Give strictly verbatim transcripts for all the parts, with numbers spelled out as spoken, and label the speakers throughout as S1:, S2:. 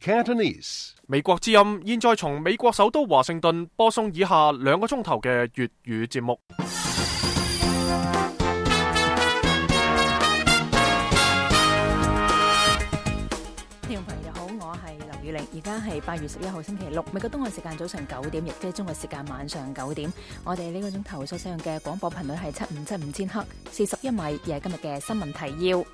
S1: Cantonese.
S2: 美國之音現在從美國首都華盛頓播送以下兩個鐘頭嘅粵語節目。
S3: 聽眾朋友好，我係劉宇玲，而家係八月十一號星期六，美國東岸時間早上九點，亦即係中國時間晚上九點。我哋呢個鐘頭所使用嘅廣播頻率係七五七五千赫，四十一米，而係今日嘅新聞提要。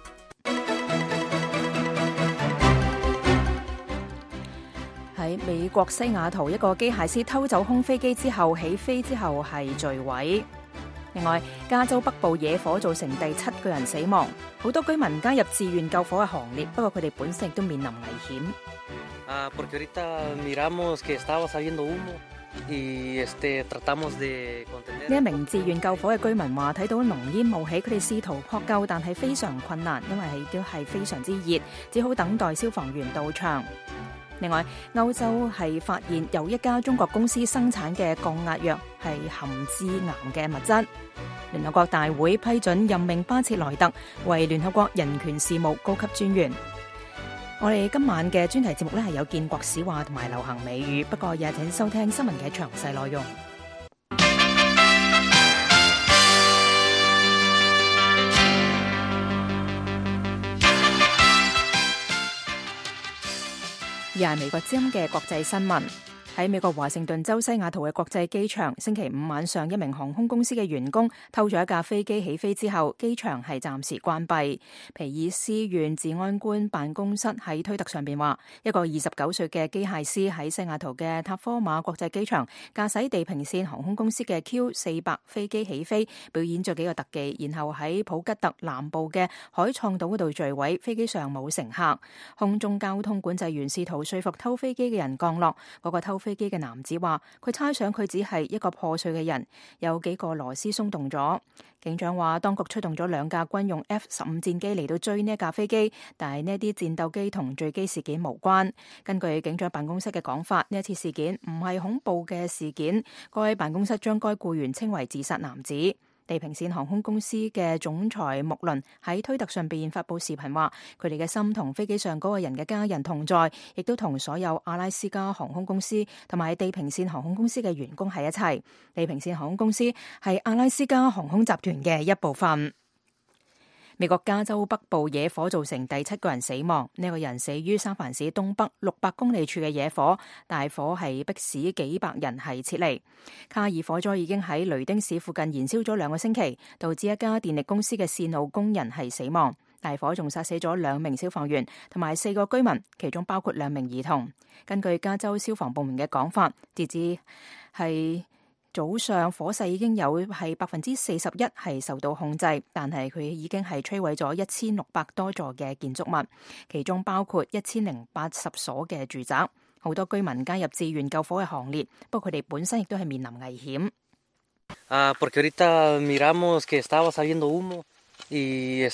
S3: 喺美國西雅圖，一個機械師偷走空飛機之後起飛之後係墜毀。另外，加州北部野火造成第七個人死亡，好多居民加入志願救火嘅行列，不過佢哋本身亦都面臨危險。
S4: 啊，porque ahorita miramos que estaba saliendo humo y este tratamos de contener。
S3: 呢一名志願救火嘅居民話：睇到濃煙冒起，佢哋試圖撲救，但係非常困難，因為係都係非常之熱，只好等待消防員到場。另外，歐洲係發現有一家中國公司生產嘅降壓藥係含致癌嘅物質。聯合國大會批准任命巴切萊特為聯合國人權事務高級專員。我哋今晚嘅專題節目呢係有建國史話同埋流行美語，不過也請收聽新聞嘅詳細內容。而係美國之音嘅國際新聞。喺美國華盛頓州西雅圖嘅國際機場，星期五晚上，一名航空公司嘅員工偷咗一架飛機起飛之後，機場係暫時關閉。皮爾斯縣治安官辦公室喺推特上邊話，一個二十九歲嘅機械師喺西雅圖嘅塔科馬國際機場駕駛地平線航空公司嘅 Q 四百 飛機起飛，表演咗幾個特技，然後喺普吉特南部嘅海創島嗰度墜毀。飛機上冇乘客，空中交通管制員試圖說服偷飛機嘅人降落。嗰個偷飛機嘅男子話，佢猜想佢只係一個破碎嘅人，有幾個螺絲鬆動咗。警長話，當局出動咗兩架軍用 F 十五戰機嚟到追呢一架飛機，但係呢啲戰鬥機同墜機事件無關。根據警長辦公室嘅講法，呢一次事件唔係恐怖嘅事件，該辦公室將該僱員稱為自殺男子。地平線航空公司嘅總裁穆倫喺推特上邊發佈視頻話，佢哋嘅心同飛機上嗰個人嘅家人同在，亦都同所有阿拉斯加航空公司同埋地平線航空公司嘅員工喺一齊。地平線航空公司係阿拉斯加航空集團嘅一部分。美國加州北部野火造成第七個人死亡，呢、這個人死於三藩市東北六百公里處嘅野火，大火係迫使幾百人係撤離。卡爾火災已經喺雷丁市附近燃燒咗兩個星期，導致一家電力公司嘅線路工人係死亡。大火仲殺死咗兩名消防員同埋四個居民，其中包括兩名兒童。根據加州消防部門嘅講法，截至係早上火勢已經有係百分之四十一係受到控制，但係佢已經係摧毀咗一千六百多座嘅建築物，其中包括一千零八十所嘅住宅。好多居民加入志願救火嘅行列，不過佢哋本身亦都係面臨危險。
S4: 啊，porque ahorita miramos que estaba saliendo humo。呢一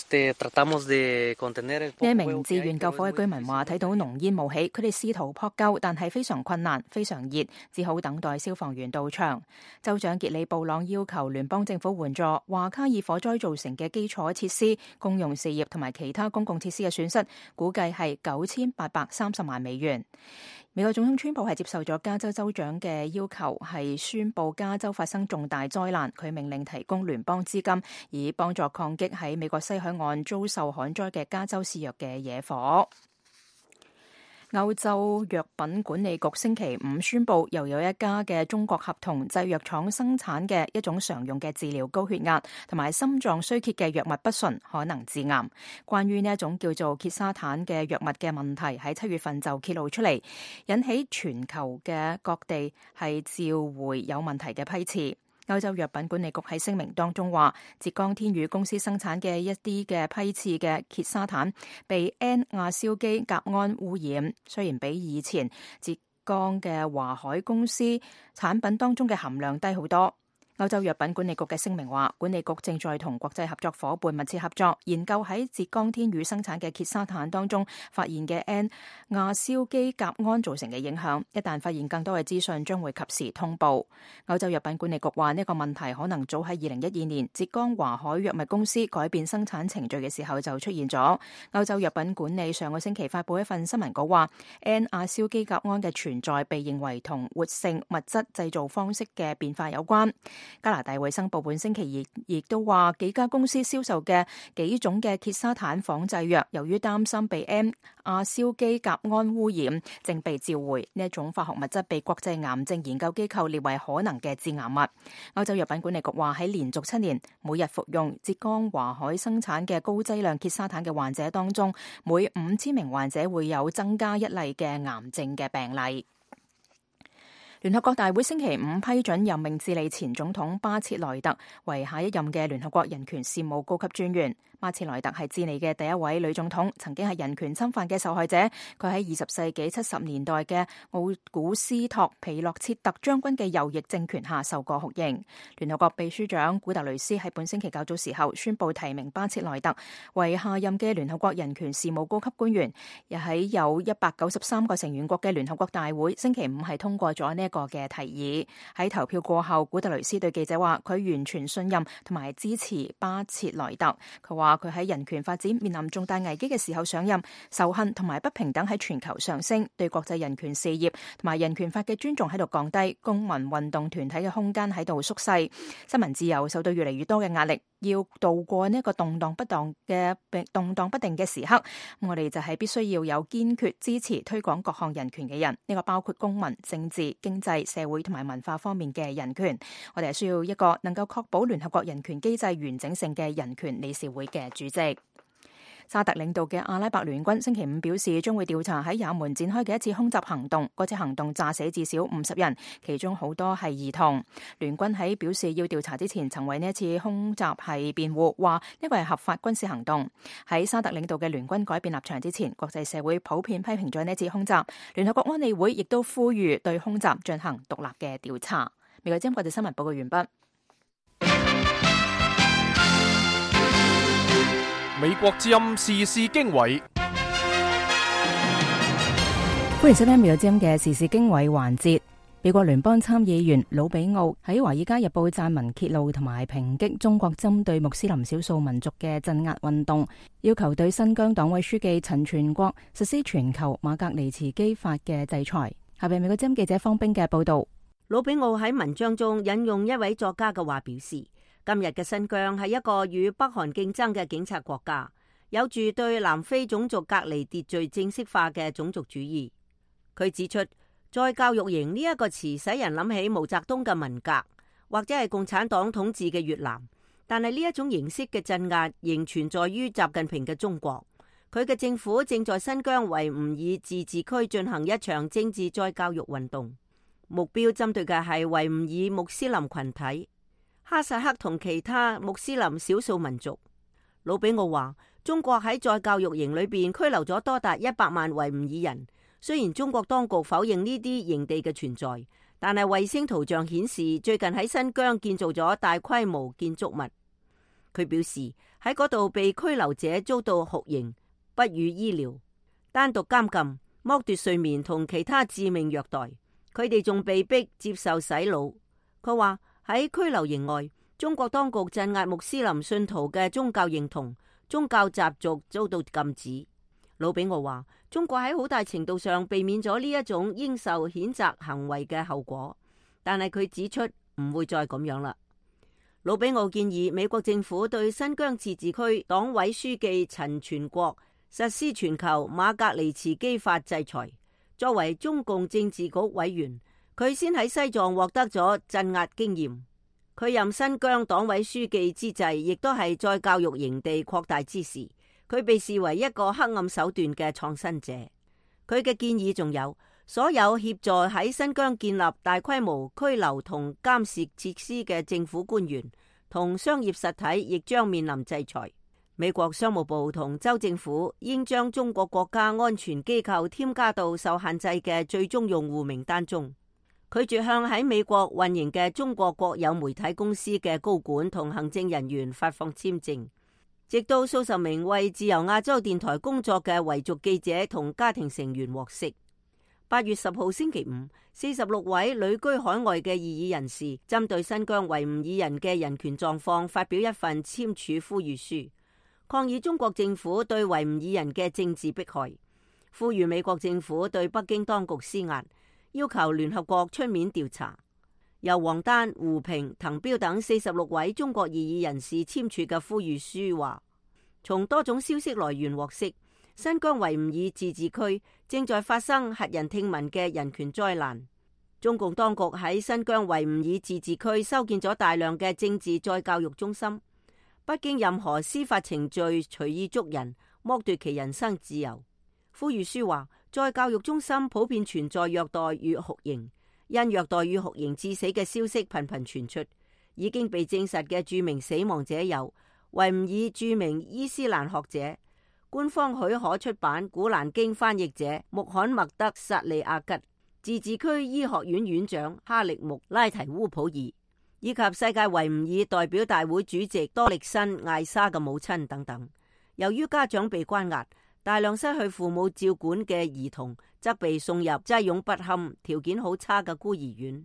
S3: 名志願救火嘅居民話，睇到濃煙冒起，佢哋試圖撲救，但係非常困難，非常熱，只好等待消防員到場。州長傑里布朗要求聯邦政府援助，話卡爾火災造成嘅基礎設施、公用事業同埋其他公共設施嘅損失，估計係九千八百三十萬美元。美國總統川普係接受咗加州州長嘅要求，係宣布加州發生重大災難，佢命令提供聯邦資金，以幫助抗擊喺美國西海岸遭受旱災嘅加州肆虐嘅野火。歐洲藥品管理局星期五宣布，又有一家嘅中國合同製藥廠生產嘅一種常用嘅治療高血壓同埋心臟衰竭嘅藥物不純，可能致癌。關於呢一種叫做歇沙坦嘅藥物嘅問題，喺七月份就揭露出嚟，引起全球嘅各地係召回有問題嘅批次。歐洲藥品管理局喺聲明當中話，浙江天宇公司生產嘅一啲嘅批次嘅歇沙坦被 N 亞硝基甲胺污染，雖然比以前浙江嘅華海公司產品當中嘅含量低好多。歐洲藥品管理局嘅聲明話，管理局正在同國際合作伙伴密切合作，研究喺浙江天宇生產嘅碘沙坦當中發現嘅 N 亞硝基甲胺造成嘅影響。一旦發現更多嘅資訊，將會及時通報。歐洲藥品管理局話，呢個問題可能早喺二零一二年浙江華海藥物公司改變生產程序嘅時候就出現咗。歐洲藥品管理上個星期發布一份新聞稿話， N 亞硝基甲胺嘅存在被認為同活性物質製造方式嘅變化有關。加拿大衛生部本星期二亦都話，幾家公司銷售嘅幾種嘅碘沙坦仿製藥，由於擔心被 N 亞硝基甲胺污染，正被召回。呢一種化學物質被國際癌症研究機構列為可能嘅致癌物。歐洲藥品管理局話，喺連續七年每日服用浙江華海生產嘅高劑量碘沙坦嘅患者當中，每五千名患者會有增加一例嘅癌症嘅病例。聯合國大會星期五批准任命智利前總統巴切萊特為下一任嘅聯合國人權事務高級專員。巴切萊特係智利嘅第一位女總統，曾經係人權侵犯嘅受害者。佢喺二十世紀七十年代嘅奧古斯托皮洛切特將軍嘅右翼政權下受過酷刑。聯合國秘書長古特雷斯喺本星期較早時候宣布提名巴切萊特為下任嘅聯合國人權事務高級官員。又喺有一百九十三個成員國嘅聯合國大會星期五係通過咗呢一個嘅提議。喺投票過後，古特雷斯對記者話，佢完全信任同埋支持巴切萊特。佢話佢喺人權發展面臨重大危機嘅時候上任，仇恨同埋不平等喺全球上升，對國際人權事業同埋人權法嘅尊重喺度降低，公民運動團體嘅空間喺度縮細，新聞自由受到越嚟越多嘅壓力。要度過呢一個動盪不當嘅動盪不定嘅時刻，我哋就係必須要有堅決支持推廣各項人權嘅人，呢個包括公民、政治、經濟、社會同埋文化方面嘅人權。我哋係需要一個能夠確保聯合國人權機制完整性嘅人權理事會嘅主席。沙特領導嘅阿拉伯聯軍星期五表示，將會調查喺也門展開嘅一次空襲行動。嗰次行動炸死至少五十人，其中好多係兒童。聯軍喺表示要調查之前，曾為呢一次空襲係辯護，話呢個係合法軍事行動。喺沙特領導嘅聯軍改變立場之前，國際社會普遍批評咗呢一次空襲。聯合國安理會亦都呼籲對空襲進行獨立嘅調查。美國之音國際新聞報告完畢。
S2: 美國之音時事經緯，
S3: 歡迎收聽美國之音嘅時事經緯環節。美國聯邦參議員魯比奧喺《華爾街日報》撰文揭露同埋抨擊中國針對穆斯林少數民族嘅鎮壓運動，要求對新疆黨委書記陳全國實施全球馬格尼茨基法嘅制裁。下邊美國之音記者方冰嘅報道。
S1: 魯比奧喺文章中引用一位作家嘅話表示，今日嘅新疆係一個與北韓競爭嘅警察國家，有住對南非種族隔離秩序正式化嘅種族主義。佢指出，再教育營呢一個詞使人諗起毛澤東嘅文革，或者係共產黨統治嘅越南，但係呢一種形式嘅鎮壓仍存在於習近平嘅中國。佢嘅政府正在新疆維吾爾自治區進行一場政治再教育運動，目標針對嘅係維吾爾穆斯林群體、哈薩克同其他穆斯林少數民族。魯比奧話，中國喺再教育營裏邊拘留咗多達一百萬維吾爾人。雖然中國當局否認呢啲營地嘅存在，但係衛星圖像顯示最近喺新疆建造咗大規模建築物。佢表示喺嗰度被拘留者遭到酷刑、不予醫療、單獨監禁、剝奪睡眠同其他致命虐待。佢哋仲被逼接受洗腦。佢話喺拘留營外，中國當局鎮壓穆斯林信徒嘅宗教認同、宗教習俗遭到禁止。魯比奧話，中國喺好大程度上避免咗呢一種應受譴責行為嘅後果，但係佢指出唔會再咁樣啦。魯比奧建議美國政府對新疆自治區黨委書記陳全國實施全球馬格尼茨基法制裁。作為中共政治局委員，佢先喺西藏獲得咗鎮壓經驗。佢任新疆黨委書記之際，亦都係再教育營地擴大之時。佢被視為一個黑暗手段嘅創新者。佢嘅建議仲有，所有協助喺新疆建立大規模拘留同監視設施嘅政府官員同商業實體，亦將面臨制裁。美國商務部同州政府應將中國國家安全機構添加到受限制嘅最終用戶名單中。拒絕向喺美國運營嘅中國國有媒體公司嘅高管同行政人員發放簽證，直到數十名為自由亞洲電台工作嘅維族記者同家庭成員獲釋。八月十號星期五，四十六位旅居海外嘅異議人士針對新疆維吾爾人嘅人權狀況發表一份簽署呼籲書，抗議中國政府對維吾爾人嘅政治迫害，呼籲美國政府對北京當局施壓，要求聯合國出面調查。由王丹、胡平、滕彪等四十六位中國異議人士簽署嘅呼籲書話，從多種消息來源獲悉，新疆維吾爾自治區正在發生駭人聽聞嘅人權災難。中共當局喺新疆維吾爾自治區修建咗大量嘅政治再教育中心，不經任何司法程序隨意捉人，剝奪其人身自由。呼籲書話，再教育中心普遍存在虐待與酷刑，因虐待與酷刑致死嘅消息頻頻傳出。已經被證實嘅著名死亡者有維吾爾著名伊斯蘭學者、官方許可出版《古蘭經》翻譯者穆罕默德·薩利亞吉、自治區醫學院院長哈力木拉提烏普爾，以及世界維吾爾代表大會主席多力辛艾莎嘅母親等等。由於家長被關押，大量失去父母照管嘅兒童則被送入擠擁不堪、條件好差嘅孤兒院。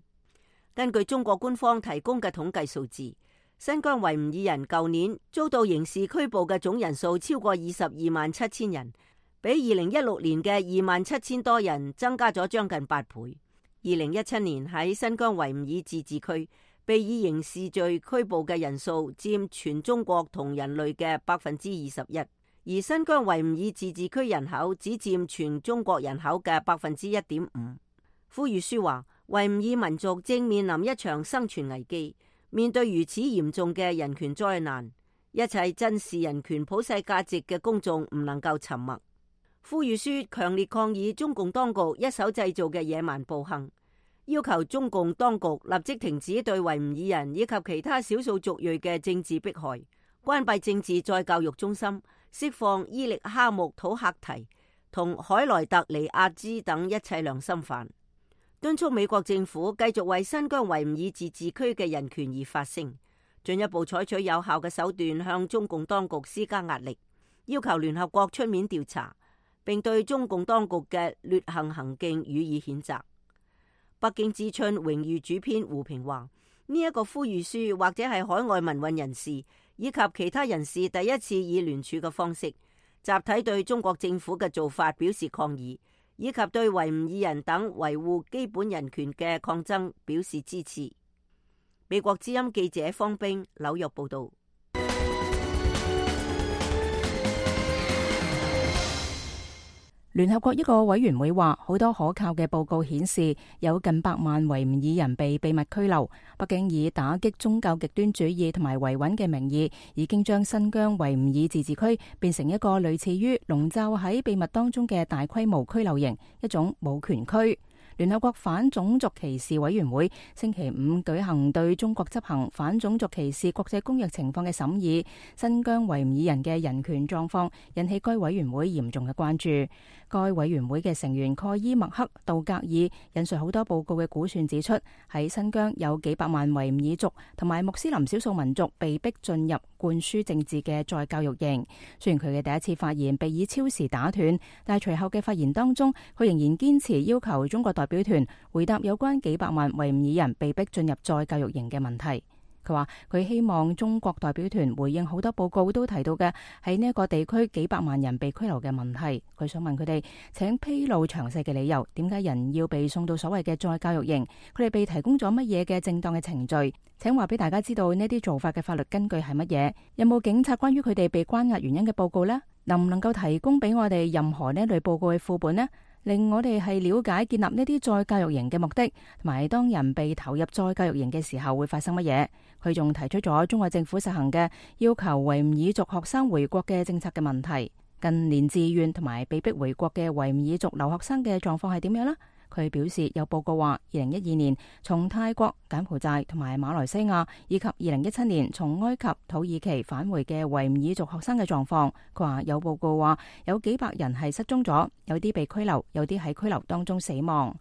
S1: 根據中國官方提供嘅統計數字，新疆維吾爾人舊年遭到刑事拘捕嘅總人數超過二十二萬七千人，比二零一六年嘅二萬七千多人增加咗將近八倍。二零一七年喺新疆維吾爾自治區被以刑事罪拘捕嘅人數佔全中國同人類嘅百分之二十一。而新疆維吾爾自治區人口只佔全中國人口嘅百分之一點五。呼籲書話，維吾爾民族正面臨一場生存危機，面對如此嚴重嘅人權災難，一切珍視人權普世價值嘅公眾唔能夠沉默。呼籲書強烈抗議中共當局一手製造嘅野蠻暴行，要求中共當局立即停止對維吾爾人以及其他少數族裔嘅政治迫害，關閉政治再教育中心，釋放伊力哈木土克提同海萊特尼亞茲等一切良心犯，敦促美國政府繼續為新疆維吾爾自治區嘅人權而發聲，進一步採取有效嘅手段向中共當局施加壓力，要求聯合國出面調查，並對中共當局嘅劣行行徑予以譴責。北京之春榮譽主編胡平話，呢一個呼籲書或者係海外民運人士以及其他人士第一次以聯署嘅方式集體對中國政府嘅做法表示抗議，以及對維吾爾人等維護基本人權嘅抗爭表示支持。美國之音記者方冰紐約報道。
S3: 聯合國一個委員會話，好多可靠嘅報告顯示，有近百萬維吾爾人被秘密拘留。北京以打擊宗教極端主義同埋維穩嘅名義，已經將新疆維吾爾自治區變成一個類似於籠罩喺秘密當中嘅大規模拘留營，一種無權區。聯合國反種族歧視委員會星期五舉行對中國執行反種族歧視國際公約情況嘅審議，新疆維吾爾人嘅人權狀況引起該委員會嚴重嘅關注。該委員會嘅成員蓋伊麥克杜格爾引述好多報告嘅估算指出，喺新疆有幾百萬維吾爾族同埋穆斯林少數民族被逼進入灌輸政治嘅再教育營。雖然佢嘅第一次發言被以超時打斷，但係隨後嘅發言當中，佢仍然堅持要求中國代表團回答有關幾百萬維吾爾人被逼進入再教育營嘅問題。佢話佢希望中國代表團回應好多報告都提到嘅喺呢一個地區幾百萬人被拘留嘅問題。佢想問佢哋，請披露詳細嘅理由，點解人要被送到所謂嘅再教育營？佢哋被提供咗乜嘢嘅正當嘅程序？請話俾大家知道呢啲做法嘅法律根據係乜嘢？有冇警察關於佢哋被關押原因嘅報告呢？能唔能夠提供俾我哋任何呢類報告嘅副本呢？令我哋係了解建立呢啲再教育營嘅目的，同埋當人被投入再教育營嘅時候會發生乜嘢。佢仲提出咗中國政府實行嘅要求維吾爾族學生回國嘅政策嘅問題。近年自願同埋被逼回國嘅維吾爾族留學生嘅狀況係點樣呢？佢表示有報告話，二零一二年從泰國、柬埔寨同埋馬來西亞，以及二零一七年從埃及、土耳其返回嘅維吾爾族學生嘅狀況。佢話有報告話有幾百人係失蹤咗，有啲被拘留，有啲喺拘留當中死亡。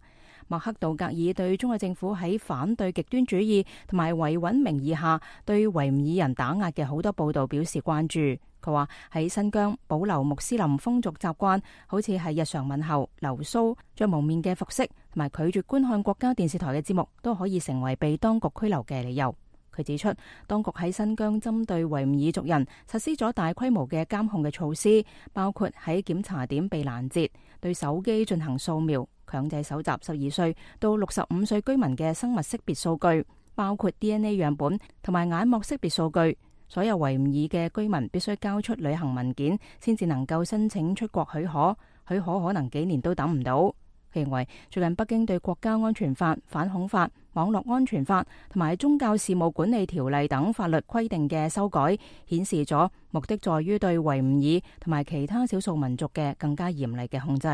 S3: 麥克道格爾對中國政府喺反對極端主義同埋維穩名義下對維吾爾人打壓嘅好多報道表示關注。佢話喺新疆保留穆斯林風俗習慣，好似係日常問候、留鬚、着蒙面嘅服飾，同埋拒絕觀看國家電視台嘅節目，都可以成為被當局拘留嘅理由。佢指出，當局喺新疆針對維吾爾族人實施咗大規模嘅監控嘅措施，包括喺檢查點被攔截、對手機進行掃描、強制搜集十二歲到六十五歲居民嘅生物識別數據，包括 D N A 樣本同埋眼膜識別數據。所有維吾爾嘅居民必須交出旅行文件，先至能夠申請出國許可，許可可能幾年都等唔到。佢認為最近北京對國家安全法、反恐法、網絡安全法同埋宗教事務管理條例等法律規定嘅修改，顯示咗目的在於對維吾爾同埋其他少數民族嘅更加嚴厲嘅控制。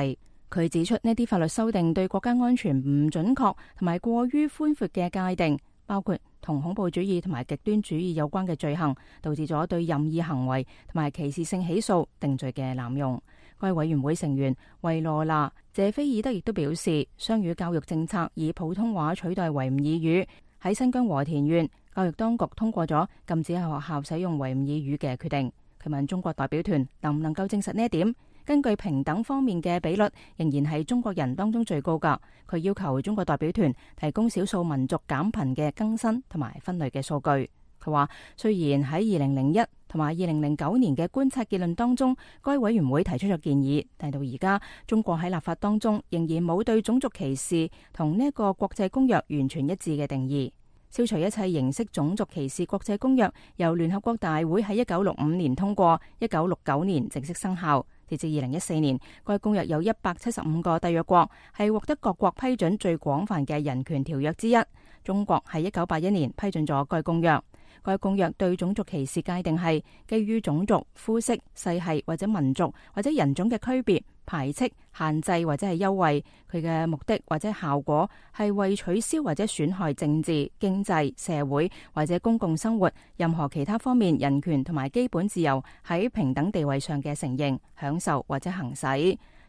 S3: 佢指出呢啲法律修訂對國家安全唔準確同埋過於寬闊嘅界定，包括同恐怖主義同埋極端主義有關嘅罪行，導致咗對任意行為同埋歧視性起訴定罪嘅濫用。該委員會成員維羅娜謝菲爾德亦都表示，雙語教育政策以普通話取代維吾爾語。喺新疆和田縣，教育當局通過咗禁止喺學校使用維吾爾語嘅決定。佢問中國代表團能唔能夠證實呢一點？根據平等方面嘅比率，仍然係中國人當中最高㗎。佢要求中國代表團提供少數民族減貧嘅更新同埋分類嘅數據。佢話，雖然喺二零零一同埋二零零九年嘅觀察結論當中，該委員會提出咗建議，但到而家中國喺立法當中仍然冇對種族歧視同呢一個國際公約完全一致嘅定義。消除一切形式種族歧視國際公約由聯合國大會喺一九六五年通過，一九六九年正式生效。截至二零一四年，該公約有一百七十五個締約國，係獲得各國批准最廣泛嘅人權條約之一。中國喺一九八一年批准咗該公約。該公約對種族歧視界定係基於種族、膚色、世系或者民族或者人種嘅區別、排斥、限制或者係優惠。佢嘅目的或者效果係為取消或者損害政治、經濟、社會或者公共生活任何其他方面人權同埋基本自由喺平等地位上嘅承認、享受或者行使。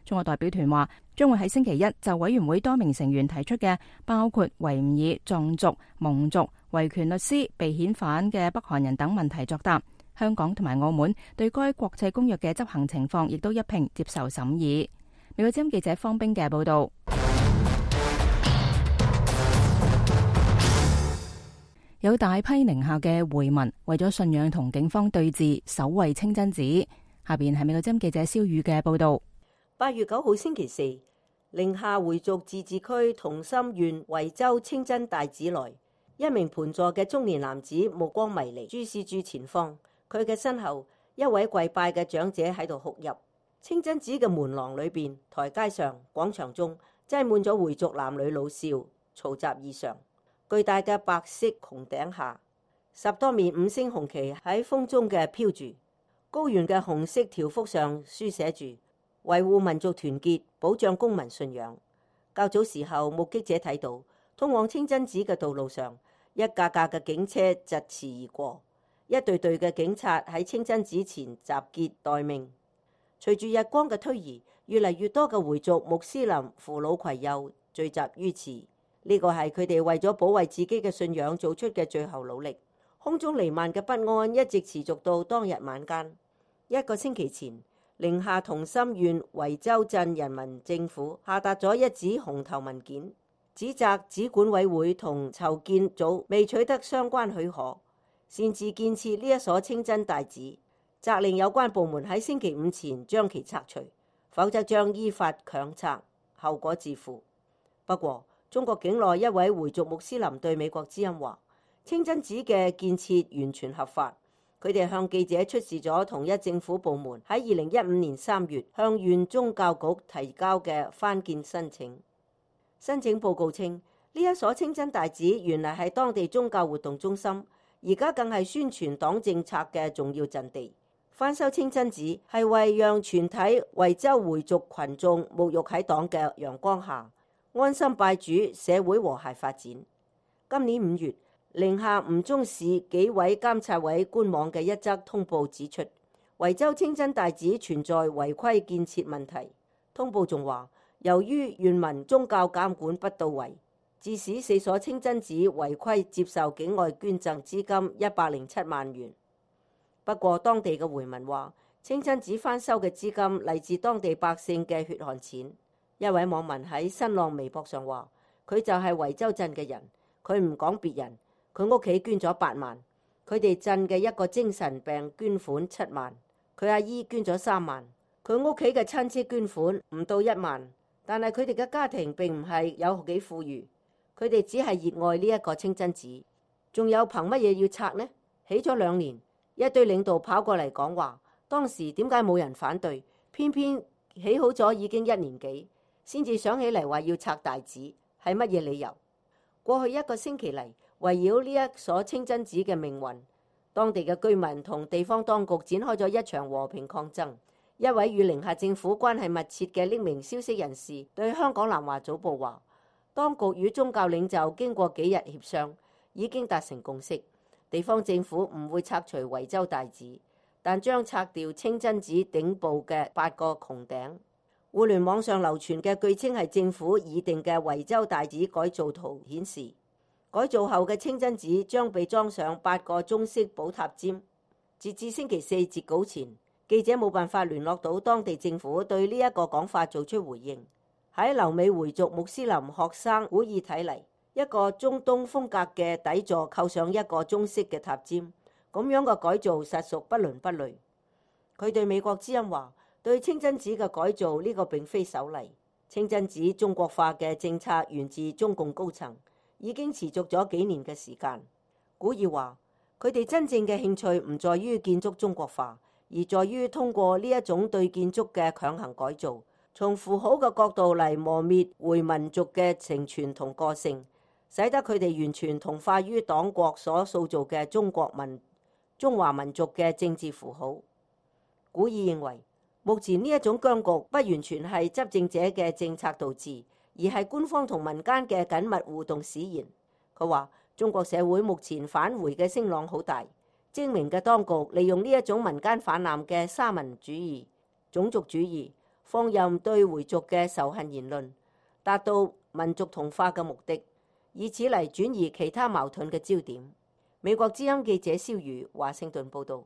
S3: 中國代表團話將會喺星期一就委員會多名成員提出嘅包括維吾爾、藏族、蒙族、維權律師、被遣返嘅北韓人等問題作答。香港同埋澳門對該國際公約嘅執行情況亦都一併接受審議。美國之音記者方冰嘅報道。有大批寧夏嘅回民為咗信仰同警方對峙，守衛清真寺。下邊係美國之音記者蕭宇嘅報道。
S1: 八月九號星期四，寧夏回族自治區同心縣維州清真大寺內，一名盤坐嘅中年男子目光迷離，注視住前方。佢嘅身後，一位跪拜嘅長者喺度哭泣。清真寺嘅門廊裏邊、台階上、廣場中，擠滿咗回族男女老少，嘈雜異常。巨大嘅白色穹頂下，十多面五星紅旗喺風中嘅飄住。高原嘅紅色條幅上書寫住維護民族團結，保障公民信仰。較早時候，目擊者睇到通往清真寺嘅道路上，一架架嘅警車疾馳而過，一隊隊嘅警察喺清真寺前集結待命。隨住日光嘅推移，越嚟越多嘅回族穆斯林扶老攜幼聚集於此。呢個係佢哋為咗保衛自己嘅信仰做出嘅最後努力。空中彌漫嘅不安一直持續到當日晚間。一個星期前，寧夏同心縣維州鎮人民政府下達咗一紙紅頭文件，指責寺管委會同籌建組未取得相關許可，擅自建設呢一所清真大寺，責令有關部門喺星期五前將其拆除，否則將依法強拆，後果自負。不過，中國境內一位回族穆斯林對美國之音話，清真寺嘅建設完全合法。佢哋向記者出示咗統一政府部門喺二零一五年三月向縣宗教局提交嘅翻建申請。申請報告稱，呢一所清真大寺原來係當地宗教活動中心，而家更係宣傳黨政策嘅重要陣地。翻修清真寺係為讓全體維州回族群眾沐浴喺黨嘅陽光下，安心拜主，社會和諧發展。今年五月，寧夏吳忠市紀委監察委官網嘅一則通報指出，維州清真大寺存在違規建設問題。通報仲話，由於原民宗教監管不到位，致使四所清真寺違規接受境外捐贈資金一百零七萬元。不過當地嘅回民話，清真寺翻修嘅資金嚟自當地百姓嘅血汗錢。一位網民喺新浪微博上話，佢就係維州鎮嘅人，佢唔講別人，佢屋企捐咗八萬，佢哋鎮嘅一個精神病捐款七萬，佢阿姨捐咗三萬，佢屋企嘅親戚捐款唔到一萬，但係佢哋嘅家庭並唔係有幾富裕，佢哋只係熱愛呢一個清真寺。仲有憑乜嘢要拆呢？起咗兩年，一堆領導跑過嚟講話，當時點解冇人反對，偏偏起好咗已經一年幾先至想起嚟話要拆大寺，係乜嘢理由？過去一個星期嚟，圍繞呢一所清真寺嘅命運，當地嘅居民同地方當局展開咗一場和平抗爭。一位與寧夏政府關係密切嘅匿名消息人士對香港南華早報話，當局與宗教領袖經過幾日協商，已經達成共識，地方政府唔會拆除維州大寺，但將拆掉清真寺頂部嘅八個穹頂。互聯網上流傳嘅據稱係政府擬定嘅維州大寺改造圖顯示，改造後嘅清真寺將被裝上八個中式寶塔尖。截至星期四截稿前，記者冇辦法聯絡到當地政府對呢一個講法做出回應。喺留美回族穆斯林學生古爾睇嚟，一個中東風格嘅底座扣上一個中式嘅塔尖，咁樣嘅改造實屬不倫不類。佢對美國之音話，對清真寺嘅改造呢個並非首例，清真寺中國化嘅政策源自中共高層，已經持續咗幾年嘅時間。古爾話，佢哋真正嘅興趣唔在於建築中國化，而在於通過呢一種對建築嘅強行改造，從符號嘅角度嚟磨滅回民族嘅承傳同個性，使得佢哋完全同化於黨國所塑造嘅中國民中華民族嘅政治符號。古爾認為，目前呢一種僵局不完全係執政者嘅政策導致，而係官方同民間嘅緊密互動使然。佢話，中國社會目前返回嘅聲浪好大，精明嘅當局利用呢一種民間泛濫嘅沙文主義、種族主義，放任對回族嘅仇恨言論，達到民族同化嘅目的，以此嚟轉移其他矛盾嘅焦點。美國之音記者蕭瑜華盛頓報導。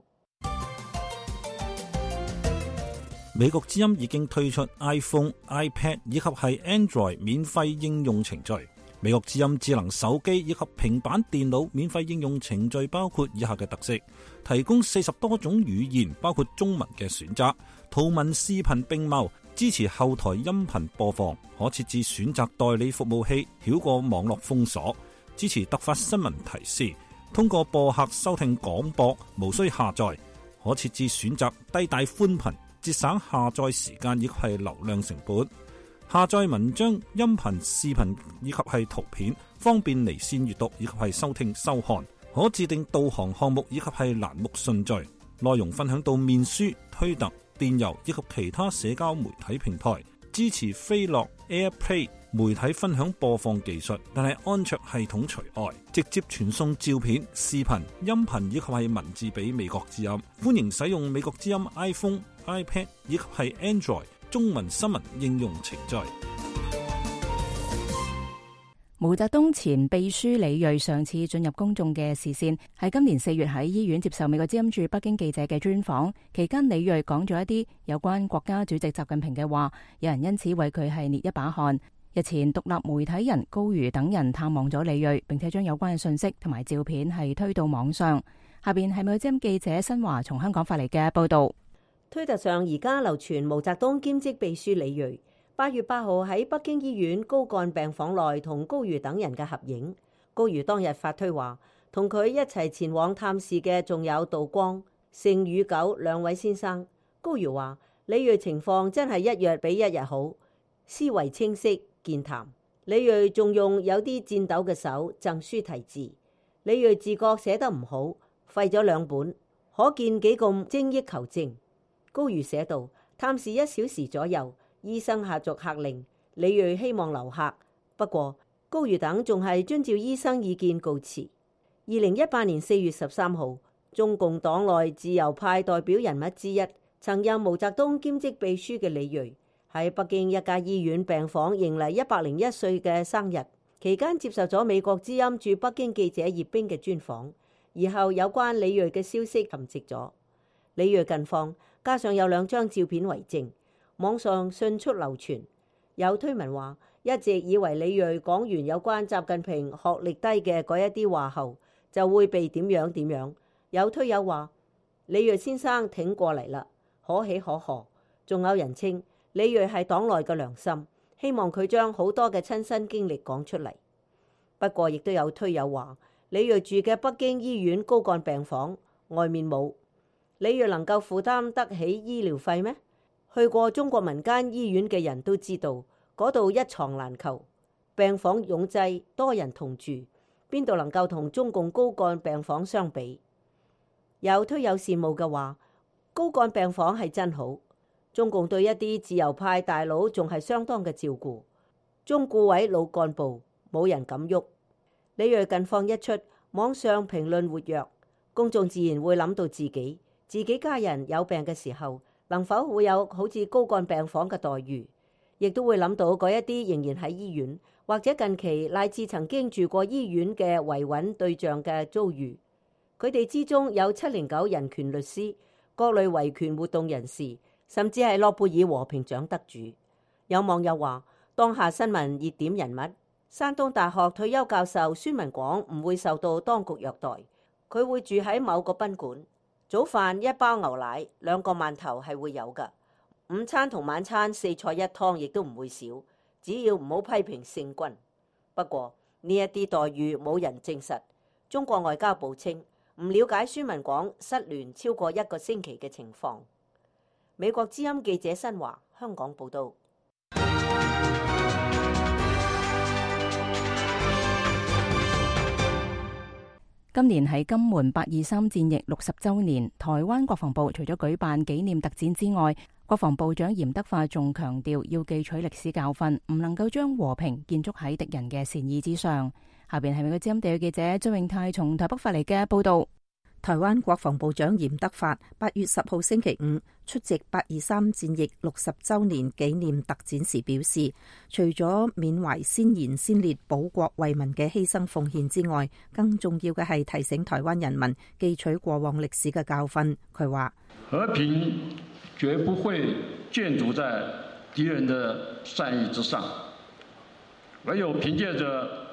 S5: 美國之音已經推出 iPhone、iPad 以及係 Android 免費應用程序。美國之音智能手機以及平板電腦免費應用程序包括以下嘅特色：提供四十多種語言，包括中文嘅選擇，圖文視頻並茂，支持後台音頻播放，可設置選擇代理服務器，繞過網絡封鎖，支持突發新聞提示，通過播客收聽廣播，無需下載，可設置選擇低帶寬頻，節省下載時間以及係流量成本。下載文章、音頻、視頻以及係圖片，方便離線閱讀以及係收聽收看。可自定導航項目以及係欄目順序。內容分享到面書、推特、電郵以及其他社交媒體平台。支持飛樂 AirPlay 媒體分享播放技術，但係安卓系統除外。直接傳送照片、視頻、音頻以及係文字俾美國之音。歡迎使用美國之音 iPhone、iPad 以及係 Android中文新聞應用程序。
S3: 毛澤東前秘書李銳上次進入公眾嘅視線，喺今年四月喺醫院接受美國之音駐北京記者嘅專訪期間，李銳講咗一啲有關國家主席習近平嘅話，有人因此為佢係捏一把汗。日前獨立媒體人高瑜等人探望咗李銳，並且將有關嘅信息同埋照片係推到網上。下邊係美國之音記者新華從香港發嚟嘅報道。
S1: 推特上而家流傳毛澤東兼職秘書李銳八月八號喺北京醫院高幹病房內同高瑜等人嘅合影。高瑜當日發推話，同佢一齊前往探視嘅仲有杜光、盛宇九兩位先生。高瑜話，李銳情況真係一日比一日好，思維清晰健談。李銳仲用有啲顫抖嘅手贈書題字。李銳自覺寫得唔好，廢咗兩本，可見幾咁精益求精。高瑜寫道，探視一小時左右，醫生下逐客令，李銳希望留客，不過高瑜等仲係遵照醫生意見告辭。二零一八年四月十三號，中共黨內自由派代表人物之一，曾任毛澤東兼職秘書嘅李銳喺北京一家醫院病房迎嚟一百零一歲嘅生日，期間接受咗美國之音駐北京記者葉冰嘅專訪，而後有關李銳嘅消息沉寂咗。李銳近況加上有兩張照片為證，網上迅速流傳。有推文話，一直以為李銳講完有關習近平學歷低嘅嗰一啲話後，就會被點樣點樣。有推友話，李銳先生挺過嚟啦，可喜可賀。仲有人稱李銳係黨內嘅良心，希望佢將好多嘅親身經歷講出嚟。不過亦都有推友話，李銳住嘅北京醫院高幹病房外面冇，李銳能夠負擔得起醫療費咩？去過中國民間醫院嘅人都知道，嗰度一床難求，病房擁擠，多人同住，邊度能夠同中共高幹病房相比？有推友羨慕嘅話，高幹病房係真好。中共對一啲自由派大佬仲係相當嘅照顧，中顧委老幹部冇人敢喐。李銳近況一出，網上評論活躍，公眾自然會諗到自己自己家人有病嘅時候，能否會有好似高幹病房嘅待遇，亦都會諗到嗰一啲仍然喺醫院或者近期乃至曾經住過醫院嘅維穩對象嘅遭遇。佢哋之中有七零九人權律師、各類維權活動人士，甚至係諾貝爾和平獎得主。有網友話，當下新聞熱點人物山東大學退休教授孫文廣唔會受到當局虐待，佢會住喺某個賓館，早飯一包牛奶，兩個饅頭係會有㗎，午餐同晚餐四菜一湯亦都唔會少，只要唔好批評聖君。不過呢一啲待遇冇人證實。中國外交部稱唔了解孫文廣失聯超過一個星期嘅情況。美國之音記者新華香港報道。
S3: 今年係金門八二三戰役六十週年，台灣國防部除咗舉辦紀念特展之外，國防部長嚴德發仲強調要記取歷史教訓，唔能夠將和平建築喺敵人嘅善意之上。下邊係美國之音地區記者張永泰從台北發嚟嘅報道。
S6: 台灣國防部長嚴德發八月十號星期五出席八二三戰役六十週年紀念特展時表示，除咗緬懷先賢先烈保國為民嘅犧牲奉獻之外，更重要嘅係提醒台灣人民記取過往歷史嘅教訓。佢話：
S7: 和平絕不會建築在敵人的善意之上，唯有憑借着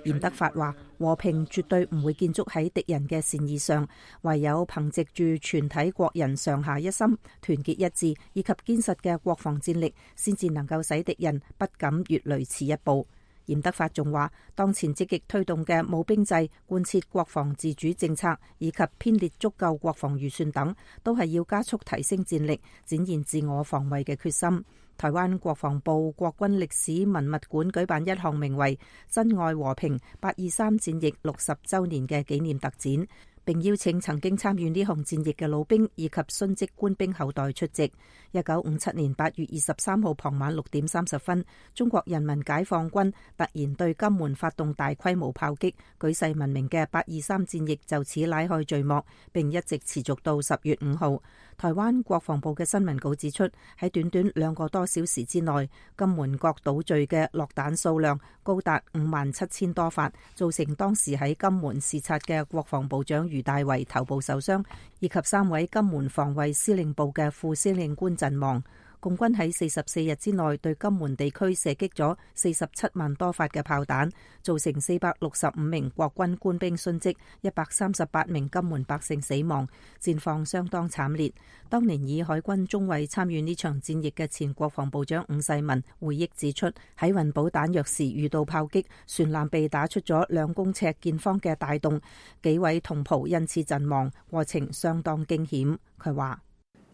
S6: 嚴德發話：和平絕對唔會建築喺敵人嘅善意上，唯有憑藉住全體國人上下一心、團結一致以及堅實嘅國防戰力，先至能夠使敵人不敢越雷池一步。嚴德發仲話：當前積極推動嘅冇兵制、貫徹國防自主政策以及編列足夠國防預算等，都係要加速提升戰力，展現自我防衛嘅決心。台灣國防部國軍歷史文物館舉辦一項名為《珍愛和平八二三戰役六十週年》嘅紀念特展，並邀請曾經參與呢項戰役嘅老兵以及殉職官兵後代出席。一九五七年八月二十三號傍晚六點三十分，中國人民解放軍突然對金門發動大規模炮擊，舉世聞名嘅八二三戰役就此拉開序幕，並一直持續到十月五號。台灣國防部嘅新聞稿指出，喺短短兩個多小時之內，金門各島嶼嘅落彈數量高達五萬七千多發，造成當時喺金門視察嘅國防部長余大為頭部受傷，以及三位金門防衛司令部嘅副司令官陣亡。共軍喺四十四日之內對金門地區射擊咗四十七萬多發嘅炮彈，造成四百六十五名國軍官兵殉職，一百三十八名金門百姓死亡，戰況相當慘烈。當年以海軍中尉參與呢場戰役嘅前國防部長伍世民回憶指出，喺運補彈藥時遇到炮擊，船艦被打出咗兩公尺見方嘅大洞，幾位同袍因此陣亡，過程相當驚險。佢話：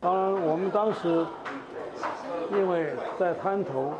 S8: 當然，我們當時因為在灘頭，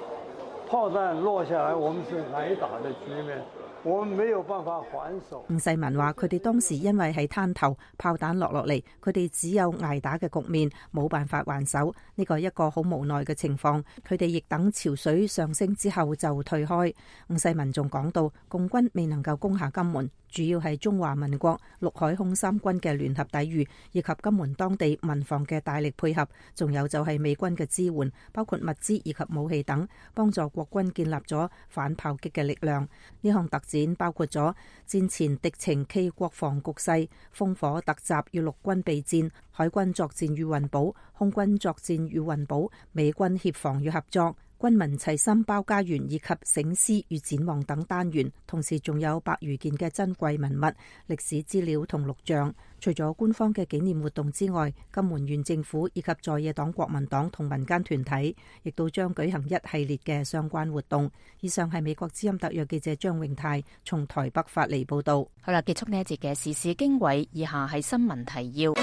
S8: 炮彈落下來，我們是挨打的局面，我們沒有辦法還手。
S6: 伍世民話：佢哋當時因為喺灘頭，炮彈落落嚟，佢哋只有挨打嘅局面，冇辦法還手。呢個係一個好無奈嘅情況。佢哋亦等潮水上升之後就退開。伍世民仲講到，共軍未能夠攻下金門，主要係中華民國陸海空三軍嘅聯合抵禦，以及金門當地民防嘅大力配合，仲有就係美軍嘅支援，包括物資以及武器等，幫助國軍建立咗反炮擊嘅力量。呢項特展包括咗戰前敵情暨國防局勢、烽火突襲與陸軍備戰、海軍作戰與運補、空軍作戰與運補、美軍協防與合作、軍民齊心包家園以及醒思與展望等單元，同時仲有百餘件嘅珍貴文物、歷史資料同錄像。除咗官方嘅紀念活動之外，金門縣政府以及在野黨國民黨同民間團體亦都將舉行一系列嘅相關活動。以上係美國之音特約記者張永泰從台北發嚟報道。
S3: 好啦，結束呢一節嘅時事經緯，以下係新聞提要。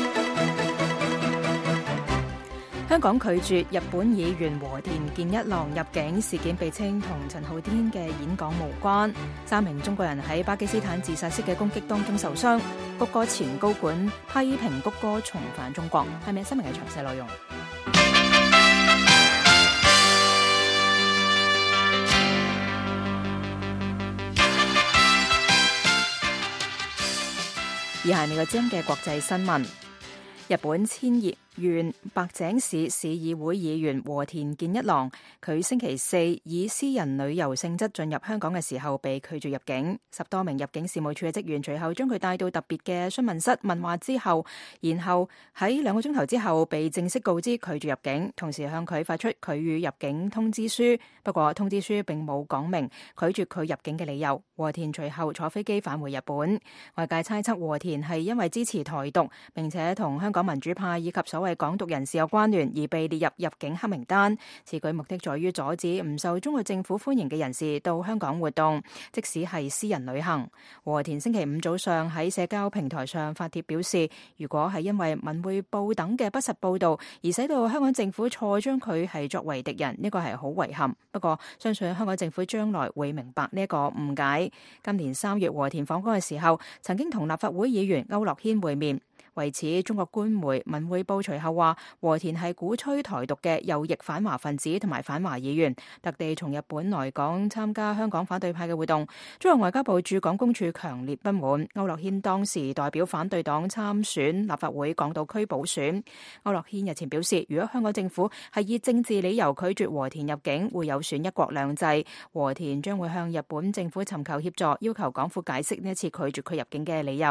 S3: 香港拒絕日本議員和田健一郎入境事件，被稱同陳浩天嘅演講無關。三名中國人喺巴基斯坦自殺式嘅攻擊當中受傷。谷歌前高管批評谷歌重返中國。係咪新聞嘅詳細內容？以下係美國之音嘅國際新聞。日本千葉縣白井市市議會議員和田健一郎，佢星期四以私人旅遊性質進入香港嘅時候被拒絕入境。十多名入境事務處嘅職員隨後將佢帶到特別嘅詢問室問話之後，然後喺兩個鐘頭之後被正式告知拒絕入境，同時向佢發出拒予入境通知書。不過通知書並冇講明拒絕佢入境嘅理由。和田隨後坐飛機返回日本。外界猜測和田係因為支持台獨，並且同香港民主派以及所謂港獨人士有關聯而被列入入境黑名單。此舉目的在於阻止唔受中國政府歡迎嘅人士到香港活動，即使係私人旅行。和田星期五早上喺社交平台上發帖表示，如果係因為文匯報等嘅不實報導而使到香港政府錯將佢係作為敵人，呢個係好遺憾。不過相信香港政府將來會明白呢一個誤解。今年三月和田訪港嘅時候，曾經同立法會議員區諾軒會面。為此，中國官媒文匯報隨後話，和田係鼓吹台獨嘅右翼反華分子同埋反華議員，特地從日本來港參加香港反對派嘅活動。中國外交部駐港公署強烈不滿。區諾軒當時代表反對黨參選立法會港島區補選。區諾軒日前表示，如果香港政府係以政治理由拒絕和田入境，會有損一國兩制。和田將會向日本政府尋求協助，要求港府解釋呢一次拒絕佢入境嘅理由。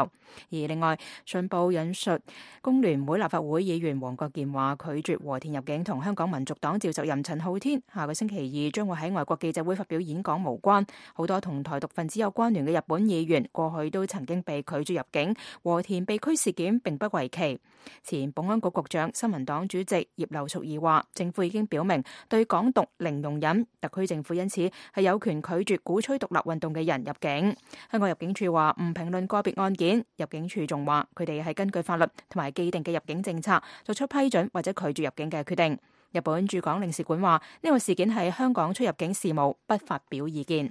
S3: 而另外，信報引述工聯會立法會議員黃國健話，拒絕和田入境同香港民族黨召集人陳浩天下個星期二將會喺外國記者會發表演講無關。好多同台獨分子有關聯嘅日本議員過去都曾經被拒絕入境，和田被拘事件並不為奇。前保安局局長、新民黨主席葉劉淑儀話，政府已經表明對港獨零容忍，特區政府因此係有權拒絕鼓吹獨立運動嘅人入境。香港入境處話唔評論個別案件，入境處仲話佢哋係根據法律同埋既定嘅入境政策作出批准或者拒絕入境嘅決定。日本駐港領事館話呢個事件係香港出入境事務，不發表意見。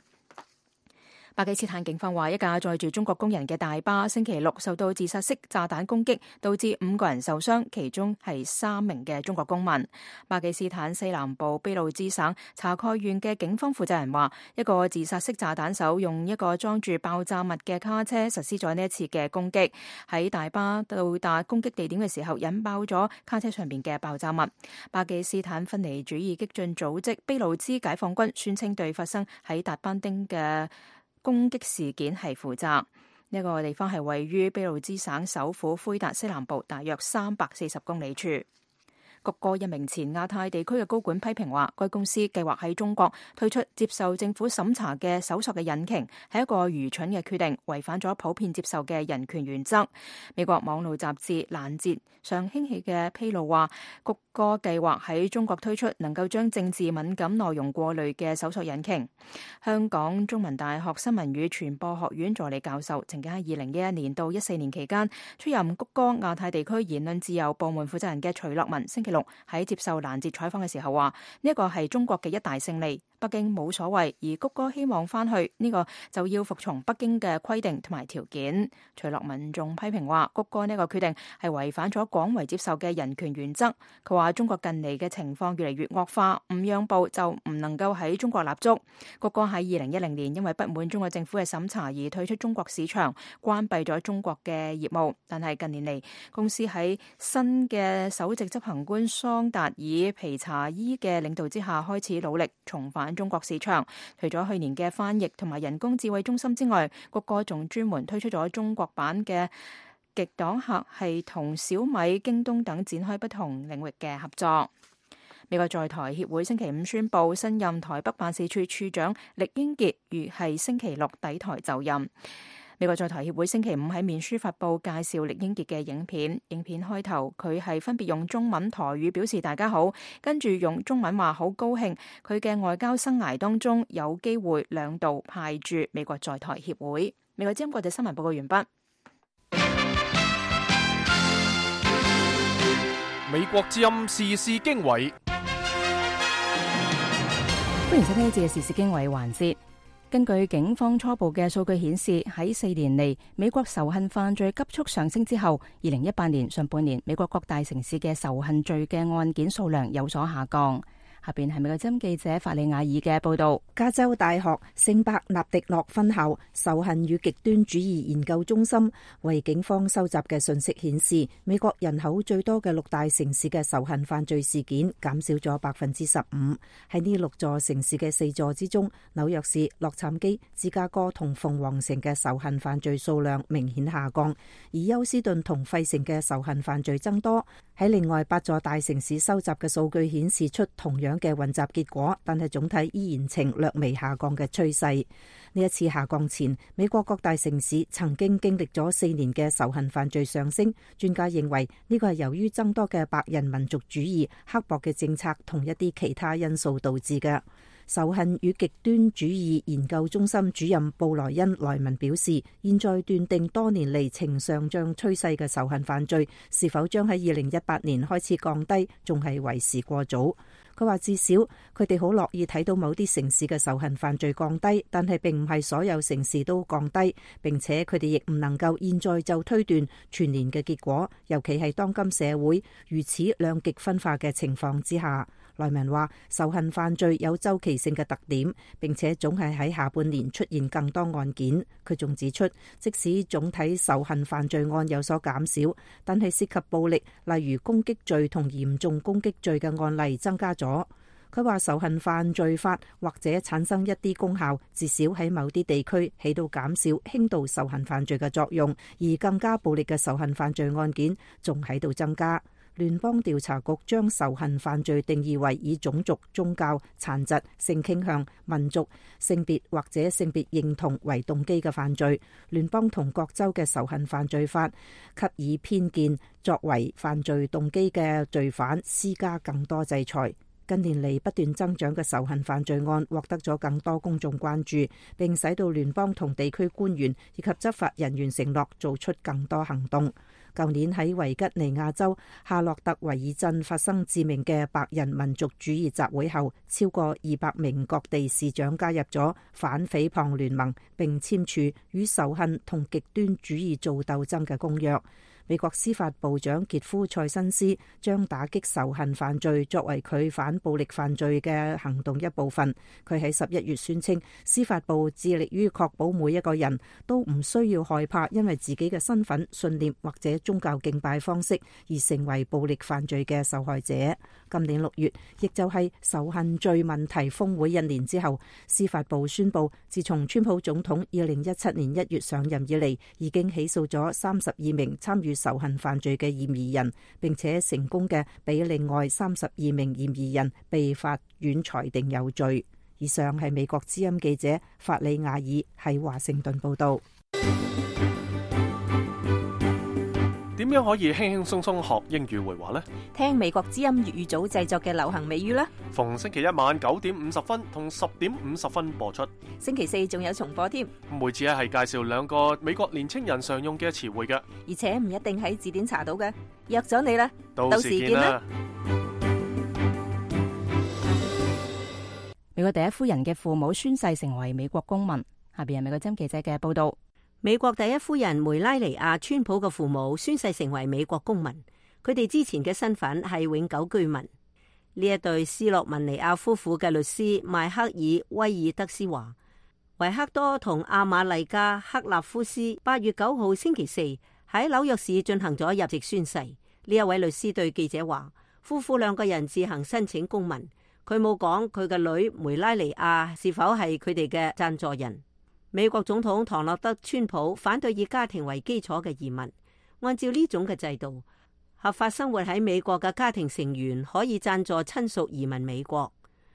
S3: 巴基斯坦警方話，一架載住中國工人嘅大巴星期六受到自殺式炸彈攻擊，導致五個人受傷，其中係三名嘅中國公民。巴基斯坦西南部俾路支省查蓋縣嘅警方負責人話，一個自殺式炸彈手用一個裝住爆炸物嘅卡車實施咗呢一次嘅攻擊，喺大巴到達攻擊地點嘅時候引爆咗卡車上面嘅爆炸物。巴基斯坦分離主義激進組織俾路支解放軍宣稱對發生喺達班丁嘅攻擊事件係負責。呢、這個地方係位於俾路支省首府魁達西南部大約三百四十公里處。谷歌一名前亞太地區嘅高管批評話，該公司計劃喺中國推出接受政府審查嘅搜索嘅引擎，係一個愚蠢嘅決定，違反咗普遍接受嘅人權原則。美國網絡雜誌攔截上興起嘅披露話，谷歌計劃喺中國推出能夠將政治敏感內容過濾嘅搜索引擎。香港中文大學新聞與傳播學院助理教授曾經喺二零一一年到一四年期間出任谷歌亞太地區言論自由部門負責人嘅徐樂文星期六喺接受攔截採訪嘅時候話，呢一個係中國嘅一大勝利，北京冇所謂，而谷歌希望翻去，呢、這個就要服從北京嘅規定同埋條件。徐樂民仲批評話，谷歌呢個決定係違反咗廣為接受嘅人權原則。佢話中國近嚟嘅情況越嚟越惡化，唔讓步就唔能夠喺中國立足。谷歌喺二零一零年因為不滿中國政府嘅審查而退出中國市場，關閉咗中國嘅業務。但係近年嚟，公司喺新嘅首席執行官桑達爾皮查伊嘅領導之下，開始努力重返中國市場。除咗去年嘅翻譯同埋人工智慧中心之外，谷歌仲專門推出咗中國版嘅極擋客係同小米、京東等展開不同領域嘅合作。美國在台協會星期五宣布，新任台北辦事處處長酈英傑預係星期六抵台就任。美國在台協會星期五喺面書發布介紹酈英傑嘅影片，影片開頭佢係分別用中文、台語表示大家好，跟住用中文話好高興佢嘅外交生涯當中有機會兩度派駐美國在台協會。美國之音國際新聞報告完畢。
S2: 美國之音時事經緯。
S3: 歡迎收聽呢節嘅時事經緯環節。根據警方初步嘅數據顯示，喺四年嚟美國仇恨犯罪急速上升之後，二零一八年上半年美國各大城市嘅仇恨罪嘅案件數量有所下降。下邊係美國之音記者法利亞爾嘅報道。
S6: 加州大學聖伯納迪諾分校仇恨與極端主義研究中心為警方收集嘅信息顯示，美國人口最多嘅六大城市嘅仇恨犯罪事件減少咗百分之十五。喺呢六座城市嘅四座之中，紐約市、洛杉磯、芝加哥同鳳凰城嘅仇恨犯罪數量明顯下降，而休斯頓同費城嘅仇恨犯罪增多。喺另外八座大城市收集嘅數據顯示出同樣嘅混雜結果，但係總體依然呈略微下降嘅趨勢。呢一次下降前，美國各大城市曾經經歷咗四年嘅仇恨犯罪上升。專家認為呢個係由於增多嘅白人民族主義、刻薄嘅政策同一啲其他因素導致嘅。仇恨與極端主義研究中心主任布萊恩萊文表示，現在斷定多年嚟呈上漲趨勢嘅仇恨犯罪是否將喺二零一八年開始降低，仲係為時過早。佢話至少佢哋好樂意睇到某啲城市嘅仇恨犯罪降低，但係並唔係所有城市都降低，並且佢哋亦唔能夠現在就推斷全年嘅結果，尤其係當今社會如此兩極分化嘅情況之下。萊文話仇恨犯罪有周期性嘅特點，並且總係喺下半年出現更多案件。佢仲指出，即使總體仇恨犯罪案有所減少，但係涉及暴力，例如攻擊罪同嚴重攻擊罪嘅案例增加咗。佢話仇恨犯罪法或者產生一啲功效，至少喺某啲地區起到減少輕度仇恨犯罪嘅作用，而更加暴力嘅仇恨犯罪案件仲喺度增加。聯邦調查局將仇恨犯罪定義為以種族、宗教、殘疾、性傾向、民族、性別或者性別認同為動機嘅犯罪。聯邦同各州嘅仇恨犯罪法給以偏見作為犯罪動機嘅罪犯施加更多制裁。近年嚟不斷增長嘅仇恨犯罪案獲得咗更多公眾關注，並使到聯邦同地區官員以及執法人員承諾做出更多行動。舊年喺維吉尼亞州夏洛特維爾鎮發生致命嘅白人民族主義集會後，超過二百名各地市長加入咗反誹謗聯盟，並簽署與仇恨同極端主義做鬥爭嘅公約。美國司法部長傑夫塞辛斯將打擊仇恨犯罪作為佢反暴力犯罪嘅行動一部分。佢喺十一月宣稱，司法部致力於確保每一個人都唔需要害怕因為自己嘅身份、信念或者宗教敬拜方式而成為暴力犯罪嘅受害者。今年六月，亦就係仇恨罪問題峰會一年之後，司法部宣布，自從川普總統二零一七年一月上任以嚟，已經起訴咗三十二名參與仇恨犯罪嘅嫌疑人，並且成功嘅俾另外三十二名嫌疑人被法院裁定有罪。以上係美國之音記者法里亞爾喺華盛頓報道。
S2: 點樣可以輕輕鬆鬆學英語會話呢？
S6: 聽美國之音粵語組製作嘅流行美語啦。
S2: 逢星期一晚九點五十分同十點五十分播出。
S6: 星期四仲有重播添。
S2: 每次咧係介紹兩個美國年青人常用嘅詞彙嘅，
S6: 而且唔一定喺字典查到嘅。約咗你啦，
S2: 到時見啦。
S3: 美國第一夫人嘅父母宣誓成為美國公民。下邊係美國之音記者嘅報道。
S1: 美國第一夫人梅拉尼亞川普嘅父母宣誓成為美國公民，佢哋之前嘅身份係永久居民。呢一對斯洛文尼亞夫婦嘅律師邁克爾威爾德斯話，維克多同阿瑪麗加克納夫斯八月九號星期四喺紐約市進行咗入籍宣誓。呢一位律師對記者話，夫婦兩個人自行申請公民，佢冇講佢嘅女梅拉尼亞是否係佢哋嘅贊助人。美國總統唐納德川普反對以家庭為基礎嘅移民。按照呢種嘅制度，合法生活喺美國嘅家庭成員可以贊助親屬移民美國。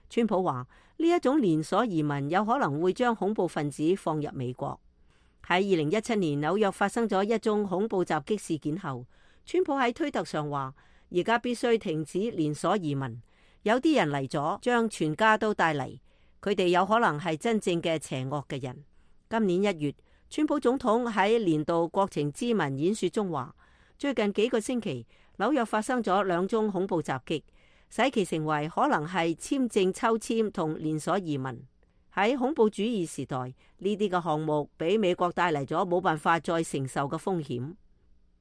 S1: 川普話呢一種連鎖移民有可能會將恐怖分子放入美國。喺二零一七年紐約發生咗一宗恐怖襲擊事件後，川普喺推特上話，而家必須停止連鎖移民。有啲人嚟咗，將全家都帶嚟，佢哋有可能係真正嘅邪惡嘅人。今年一月，川普總統喺年度國情咨文演說中話，最近幾個星期紐約發生咗兩宗恐怖襲擊，使其成為可能係簽證抽籤同連鎖移民。喺恐怖主義時代，呢啲嘅項目俾美國帶嚟咗冇辦法再承受嘅風險。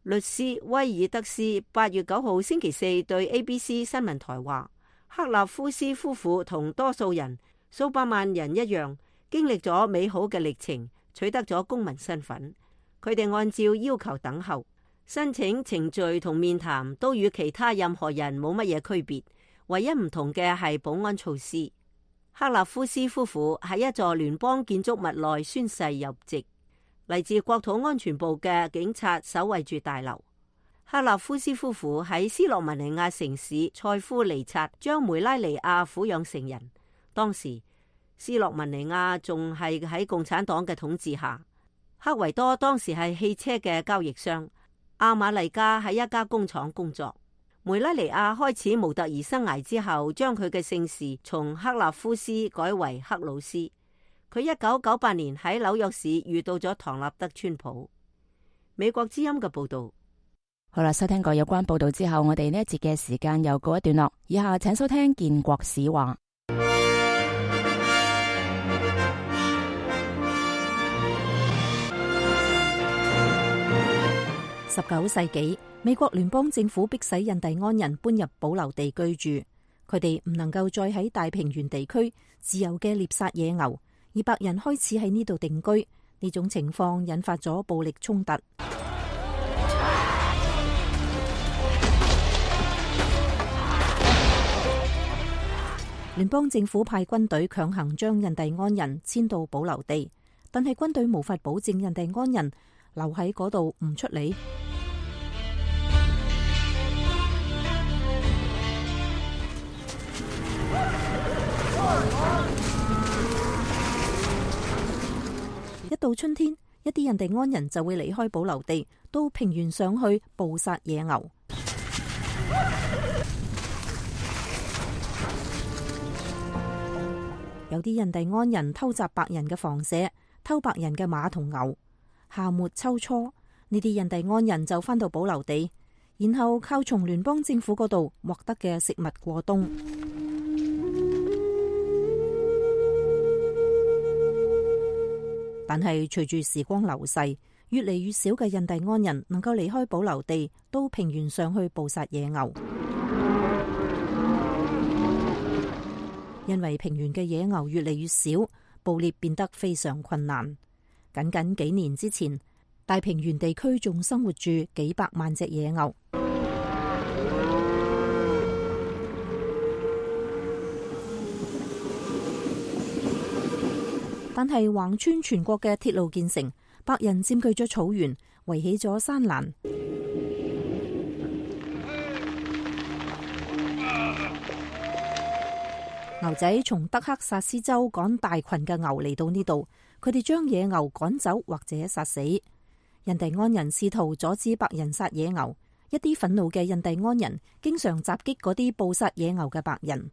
S1: 律師威爾德斯八月九號星期四對 A B C 新聞台話，克納夫斯夫婦同多數人數百萬人一樣，經歷咗美好嘅歷程，取得咗公民身份。佢哋按照要求等候，申請程序同面談都與其他任何人冇乜嘢區別，唯一唔同嘅係保安措施。克納夫斯夫婦喺一座聯邦建築物內宣誓入籍，嚟自國土安全部嘅警察守衛住大樓。克納夫斯夫婦喺斯洛文尼亞城市塞夫尼察將梅拉尼亞撫養成人，當時斯洛文尼亞仲係喺共產黨嘅統治下。克維多當時係汽車嘅交易商，阿瑪麗加喺一家工廠工作。梅拉尼亞開始模特兒生涯之後，將佢嘅姓氏從克納夫斯改為克魯斯。佢一九九八年喺紐約市遇到咗唐納德川普。美國之音嘅報道。
S3: 好啦，收聽過有關報道之後，我哋呢一節嘅時間又告一段落。以下請收聽建國史話。
S6: 十九世紀，美國聯邦政府迫使印第安人搬入保留地居住，佢哋唔能夠再喺大平原地區自由嘅獵殺野牛，而白人開始喺呢度定居。呢種情況引發咗暴力衝突。聯邦政府派軍隊強行將印第安人遷到保留地，但係軍隊無法保證印第安人留喺嗰度唔出嚟。一到春天，一啲印第安人就會離開保留地，到平原上去捕殺野牛。有啲印第安人偷襲白人嘅房舍，偷白人嘅馬同牛。夏末秋初，呢啲印第安人就返到保留地，然後靠從聯邦政府嗰度獲得嘅食物過冬。但係隨住時光流逝，越嚟越少嘅印第安人能夠離開保留地，到平原上去捕殺野牛。因為平原嘅野牛越嚟越少，捕獵變得非常困難。僅僅幾年之前，大平原地區仲生活住幾百萬隻野牛。但係橫穿全國嘅鐵路建成，白人佔據咗草原，圍起咗山欄。牛仔從德克薩斯州趕大群嘅牛嚟到呢度，佢哋將野牛趕走或者殺死。印第安人試圖阻止白人殺野牛，一啲憤怒嘅印第安人經常襲擊嗰啲捕殺野牛嘅白人。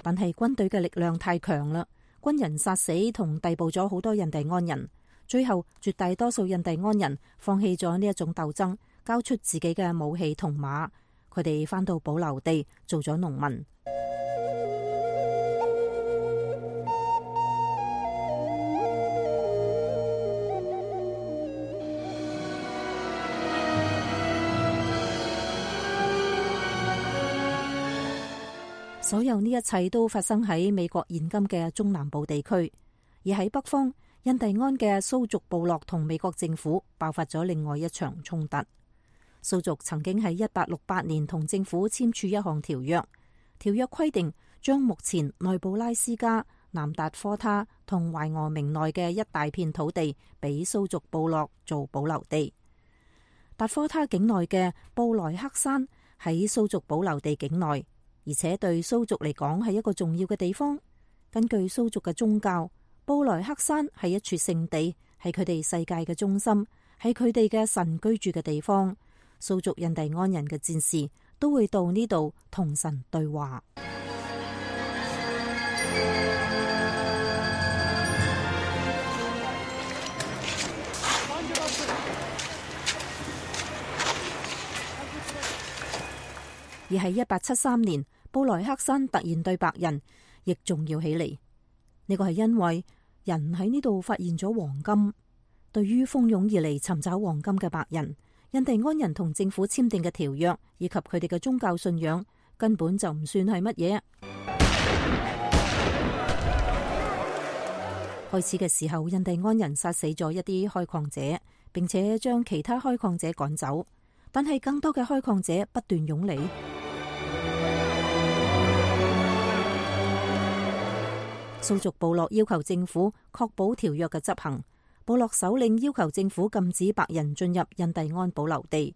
S6: 但係軍隊嘅力量太強啦，軍人殺死同逮捕咗好多印第安人，最後絕大多數印第安人放棄咗呢一種鬥爭，交出自己嘅武器同馬。佢哋返到保留地做咗農民。所有呢一切都發生喺美國現今嘅中南部地區，而喺北方，印第安嘅蘇族部落同美國政府爆發咗另外一場衝突。蘇族曾經喺一八六八年同政府簽署一項條約，條約規定將目前內布拉斯加、南達科他同懷俄明內嘅一大片土地俾蘇族部落做保留地。達科他境內嘅布萊克山喺蘇族保留地境內，而且對蘇族嚟講係一個重要嘅地方。根據蘇族嘅宗教，布萊克山係一處聖地，係佢哋世界嘅中心，係佢哋嘅神居住嘅地方。蘇族印第安人嘅戰士都會到呢度同神對話。而喺一八七三年，布萊克山突然對白人亦重要起嚟。呢個係因為人喺呢度發現咗黃金。對於蜂擁而嚟尋找黃金嘅白人，印第安人同政府簽訂嘅條約以及佢哋嘅宗教信仰根本就唔算係乜嘢。開始嘅時候，印第安人殺死咗一啲開礦者，並且將其他開礦者趕走，但係更多嘅開礦者不斷湧嚟。蘇族部落要求政府確保條約嘅執行。部落首領要求政府禁止白人進入印第安保留地，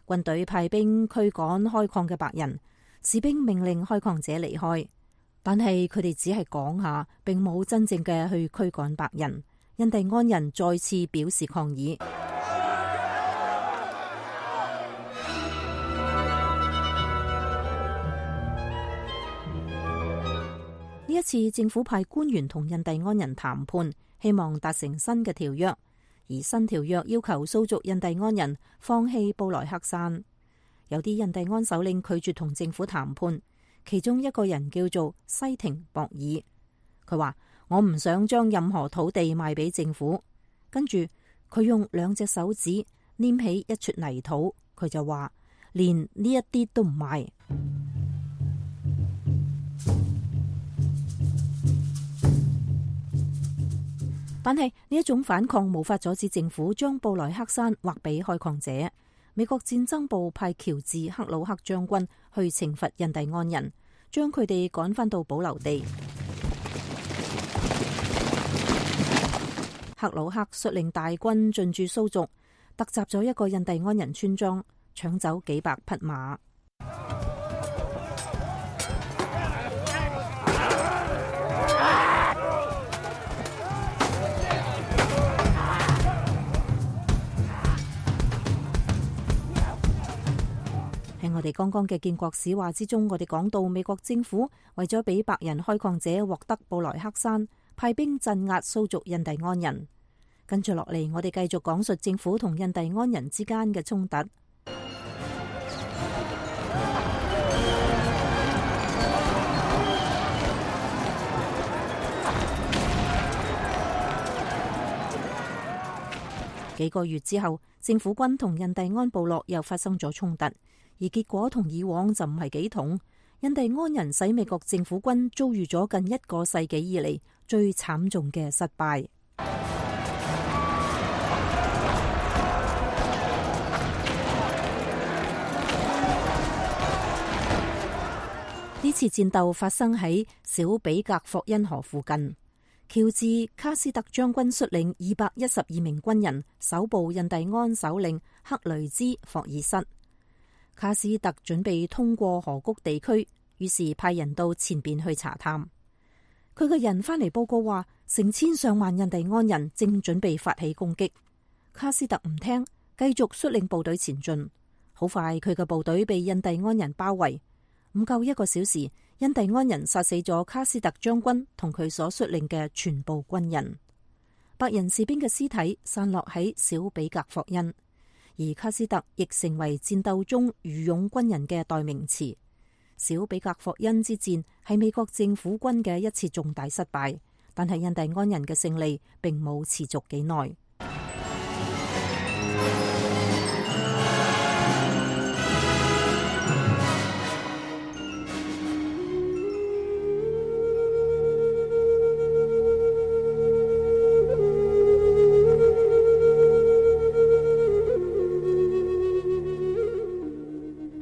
S6: 軍隊派兵驅趕開礦嘅白人，士兵命令開礦者離開，但係佢哋只係講下，並冇真正嘅去驅趕白人。印第安人再次表示抗議。呢一次政府派官員同印第安人談判，希望達成新嘅條約，而新條約要求蘇族印第安人放棄布萊克山。有啲印第安首領拒絕同政府談判，其中一個人叫做西廷博爾，佢話：我唔想將任何土地賣俾政府。跟住佢用兩隻手指拈起一撮泥土，佢就話：連呢一啲都唔賣。但係呢一種反抗無法阻止政府將布萊克山劃俾開礦者。美國戰爭部派喬治克魯克將軍去懲罰印第安人，將佢哋趕返到保留地。克魯克率領大軍進駐蘇族，突襲咗一個印第安人村莊，搶走幾百匹馬。喺我哋剛剛嘅建國史話之中，我哋講到美國政府為咗俾白人開礦者獲得布萊克山，派兵鎮壓蘇族印第安人。跟住落嚟，我哋繼續講述政府同印第安人之間嘅衝突。幾個月之後，政府軍同印第安部落又發生咗衝突。而結果同以往就唔係幾同，印第安人使美國政府軍遭遇咗近一個世紀以嚟最慘重嘅失敗。呢次戰鬥發生喺小比格霍恩河附近，喬治卡斯特將軍率領二百一十二名軍人搜捕印第安首領克雷茲霍爾瑟。卡斯特準備通過河谷地區，於是派人到前邊去查探。佢嘅人返嚟報告話，成千上萬印第安人正準備發起攻擊。卡斯特唔聽，繼續率領部隊前進。好快，佢嘅部隊被印第安人包圍。唔夠一個小時，印第安人殺死咗卡斯特將軍同佢所率領嘅全部軍人。白人士兵嘅屍體散落喺小比格霍恩。而卡斯特亦成為戰鬥中愚勇軍人嘅代名詞。小比格霍恩之戰係美國政府軍嘅一次重大失敗，但係印第安人嘅勝利並冇持續幾耐。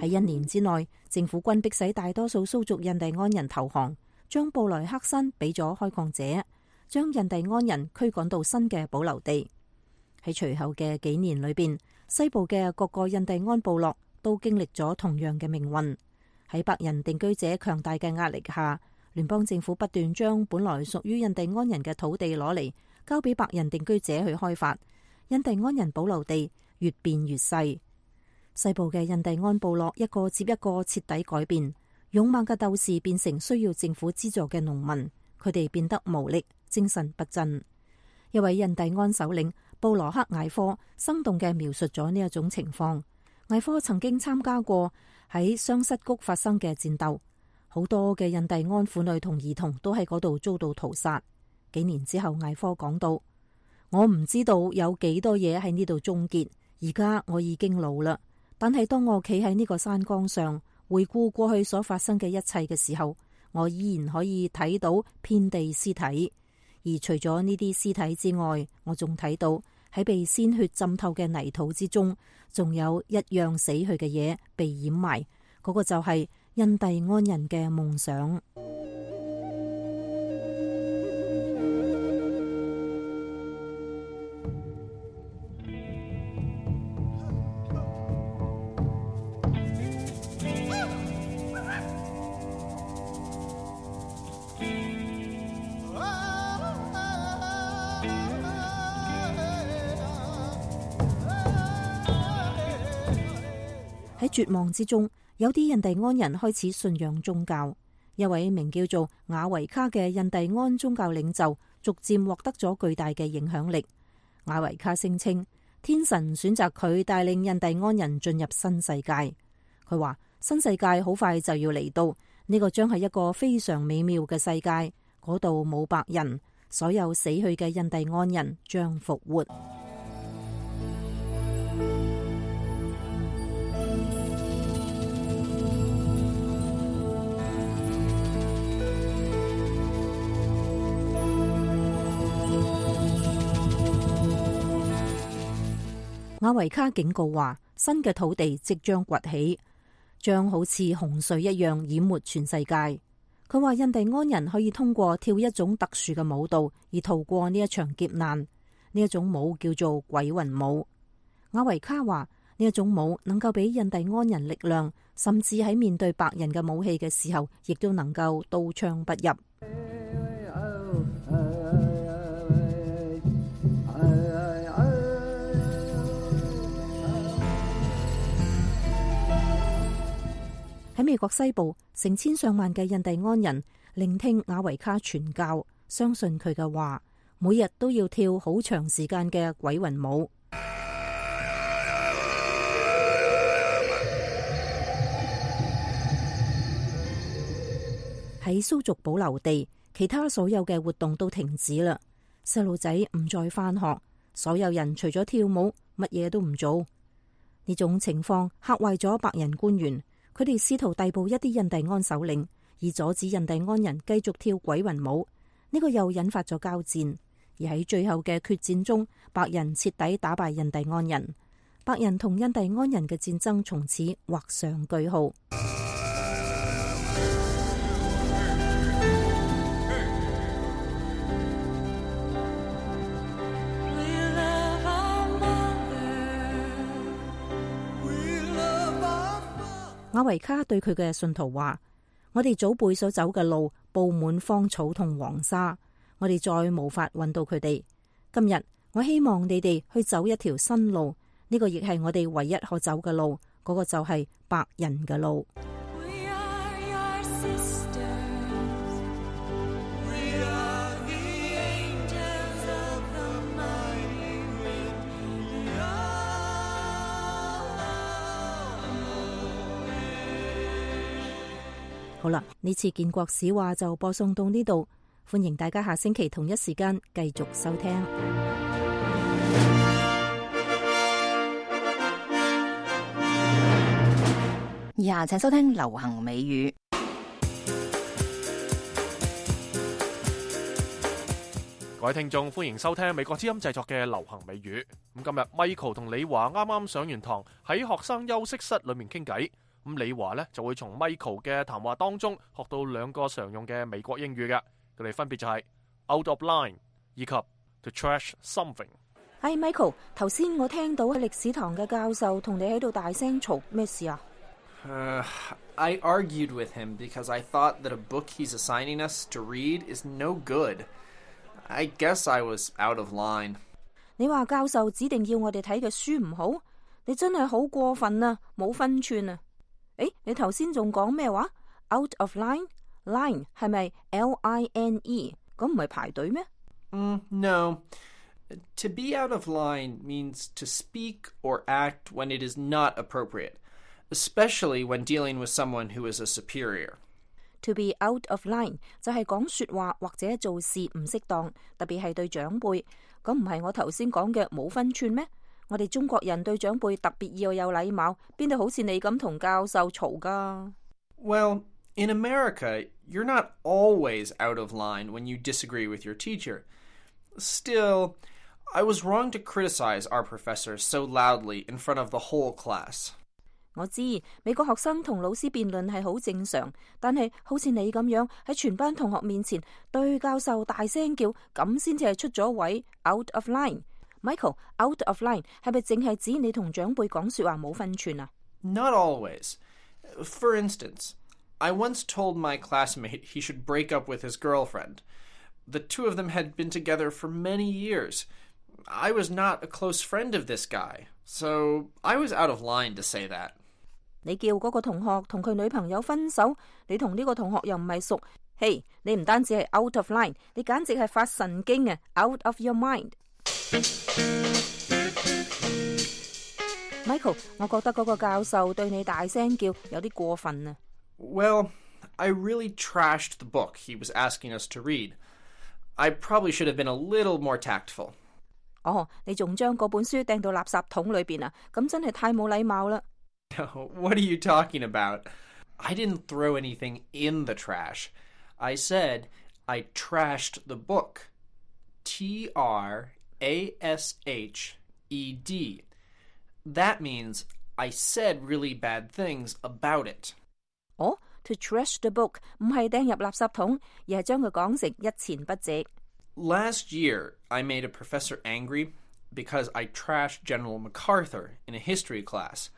S6: 喺一年之內，政府軍迫使大多數蘇族印第安人投降，將布萊克山俾咗開礦者，將印第安人驅趕到新嘅保留地。喺隨後嘅幾年裏邊，西部嘅各個印第安部落都經歷咗同樣嘅命運。喺白人定居者強大嘅壓力下，聯邦政府不斷將本來屬於印第安人嘅土地攞嚟交俾白人定居者去開發，印第安人保留地越變越細。西部嘅印第安部落一個接一個徹底改變，勇猛嘅鬥士變成需要政府資助嘅農民，佢哋變得無力，精神不振。一位印第安首領布羅克艾科生動嘅描述咗呢一種情況。艾科曾經參加過喺雙膝谷發生嘅戰鬥，好多嘅印第安婦女同兒童都喺嗰度遭到屠殺。幾年之後，艾科講到：我唔知道有幾多嘢喺呢度終結，而家我已經老啦。但係當我企喺呢個山崗上，回顧過去所發生嘅一切嘅時候，我依然可以睇到遍地屍體。而除咗呢啲屍體之外，我仲睇到喺被鮮血浸透嘅泥土之中，仲有一樣死去嘅嘢被掩埋，嗰個就係印第安人嘅夢想。喺絕望之中，有啲印第安人開始信仰宗教。一位名叫做雅維卡嘅印第安宗教領袖逐漸獲得咗巨大嘅影響力。雅維卡聲稱，天神選擇佢帶領印第安人進入新世界。佢話新世界好快就要嚟到，呢個將係一個非常美妙嘅世界，嗰度冇白人，所有死去嘅印第安人將復活。雅維卡警告話，新嘅土地即將崛起，將好似洪水一樣淹沒全世界。佢話印第安人可以通過跳一種特殊嘅舞蹈而逃過呢一場劫難，呢一種舞叫做鬼魂舞。雅維卡話呢一種舞能夠俾印第安人力量，甚至喺面對白人嘅武器嘅時候，亦都能夠刀槍不入。喺美國西部，成千上萬嘅印第安人聆聽雅維卡傳教，相信佢嘅話，每日都要跳好長時間嘅鬼魂舞。喺蘇族保留地，其他所有嘅活動都停止啦。細路仔唔再返學，所有人除咗跳舞，乜嘢都唔做。呢種情況嚇壞咗白人官員。佢哋試圖逮捕一啲印第安首領，以阻止印第安人繼續跳鬼魂舞。呢個又引發咗交戰，而喺最後嘅決戰中，白人徹底打敗印第安人。白人同印第安人嘅戰爭從此畫上句號。雅維卡對佢嘅信徒話：我哋祖輩所走嘅路布滿荒草同黃沙，我哋再無法揾到佢哋。今日我希望你哋去走一條新路，呢個亦係我哋唯一可走嘅路，嗰個就係白人嘅路。好啦，呢次建國史話就播送到呢度，歡迎大家下星期同一時間繼續收聽。
S3: 以下請收聽流行美語。
S2: 各位聽眾，歡迎收聽美國之音製作嘅流行美語。咁今日 Michael 同李華啱啱上完堂，喺學生休息室裏面傾偈。咁李華呢就會從 Michael 嘅談話當中學到兩個常用嘅美國英語嘅，佢哋分別就係 out of line 以及 to trash something。
S6: 係 Michael， 頭先我聽到喺歷史堂嘅教授同你喺度大聲嘈，咩事啊
S9: ？Uh, I argued with him because I thought that a book he's assigning us to read is no good. I guess I was out of line.
S6: 你話教授指定要我哋睇嘅書唔好，你真係好過分啊，冇分寸啊！誒，你頭先仲講咩話 ？Out of line， line 係咪 L I N E？ 咁唔係排隊咩？
S9: Mm, no. To be out of line means to speak or act when it is not appropriate, especially when dealing with someone who is a superior.
S6: To be out of line 就係講說話或者做事唔適當，特別係對長輩。咁唔係我頭先講嘅冇分寸咩？我哋中國人對長輩特別要有禮貌，邊度好似你咁同教授嘈㗎？
S9: Well, in America, you're not always out of line when you disagree with your teacher. Still, I was wrong to criticize our professor so loudly in front of the whole class.
S6: 我知美國學生同老師辯論係好正常，但係好似你咁樣喺全班同學面前對教授大聲叫，咁先至係出咗位 out of line。Michael, out of line 係咪淨係指你同長輩講說話冇分寸啊？
S9: Not always. For instance, I once told my classmate he should break up with his girlfriend. The two of them had been together for many years. I was not a close friend of this guy, so I was out of line to say that.
S6: 你叫嗰個同學同佢女朋友分手，你同呢個同學又唔係熟，嘿， hey, 你唔單止係 out of line， 你簡直係發神經啊 ！Out of your mind。Michael， 我覺得嗰個教授對你大聲叫有啲過分啊。
S9: Well, I really trashed the book he was asking us to read. I probably should have been a little more tactful.
S6: 哦，你仲將嗰本書掟到垃圾桶裏邊啊？咁真係太冇禮貌啦。
S9: What are you talking about? I didn't throw anything in the trash. I said I trashed the book. T R A S H E D. That means I said really bad things about it.
S6: 哦 to trash the book 唔係掟入垃圾桶，而係將佢講成一錢不值。
S9: Last year, I made a professor angry because I trashed General MacArthur in a history class.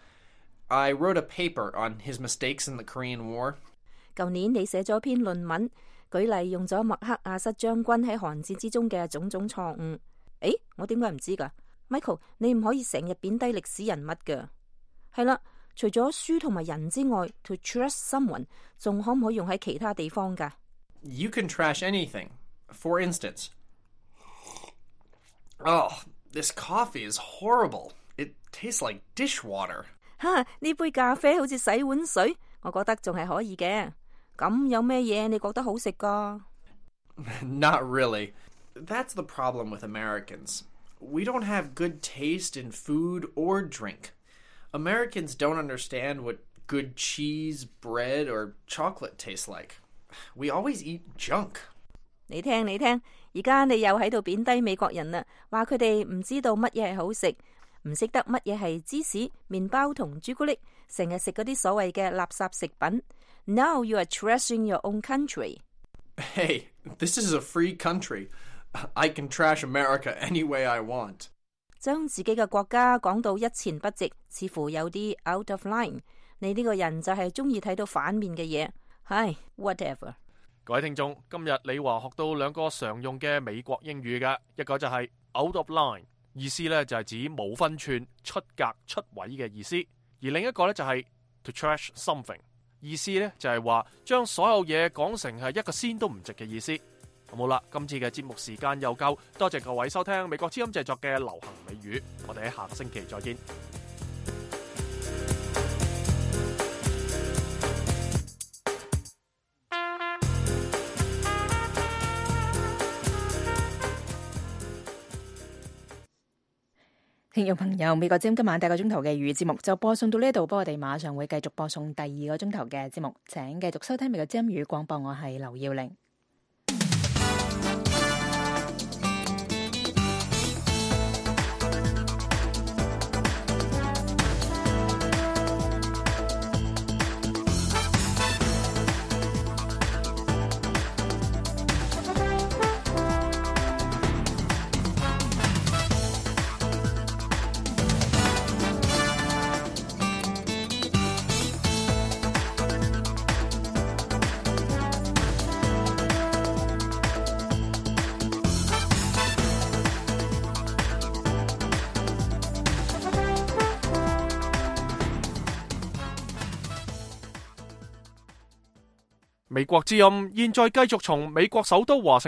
S9: I wrote a paper on his mistakes in the Korean War.
S6: 舊年你寫咗篇論文，舉例用咗麥克阿瑟將軍喺韓戰之中嘅種種錯誤。誒，我點解唔知㗎 ？Michael， 你唔可以成日貶低歷史人物㗎。係啦，除咗書同埋人之外 ，to trash someone 仲可唔可以用喺其他地方㗎？
S9: You can trash anything. For instance, oh, this coffee is horrible. It tastes like dishwater.
S6: 哈，呢杯咖啡好似洗碗水，我覺得仲係可以嘅。咁有咩嘢你覺得好食㗎？
S9: Not really. That's the problem with Americans. We don't have good taste in food or drink. Americans don't understand what good cheese, bread, or chocolate tastes like. We always eat junk.
S6: 你聽你聽，而家你又喺度貶低美國人啦，話佢哋唔知道乜嘢係好食，唔識得乜嘢係芝士、麵包同朱古力，成日食嗰啲所謂嘅垃圾食品。Now you are trashing your own country.
S9: Hey, this is a free country. I can trash America any way I want.
S6: 將自己嘅國家講到一錢不值，似乎有啲 out of line。你呢個人就係中意睇到反面嘅嘢。唉 ，whatever。
S2: 各位聽眾，今日李華學到兩個常用嘅美國英語嘅，一個就係 out of line， 意思咧就係指冇分寸、出格、出位嘅意思；而另一個咧就係 to trash something， 意思咧就係話將所有嘢講成係一個仙都唔值嘅意思。好啦，今次嘅節目時間又夠，多謝各位收聽美國之音製作嘅流行美語，我哋喺下個星期再見。
S3: 聽眾朋友，美國之音今晚第一個鐘頭嘅粵語節目就播送到呢度，不過我哋馬上會繼續播送第二個鐘頭嘅節目，請繼續收聽美國之音粵語廣播，我係劉耀玲。
S2: 美國之音現在繼續從美國首都華盛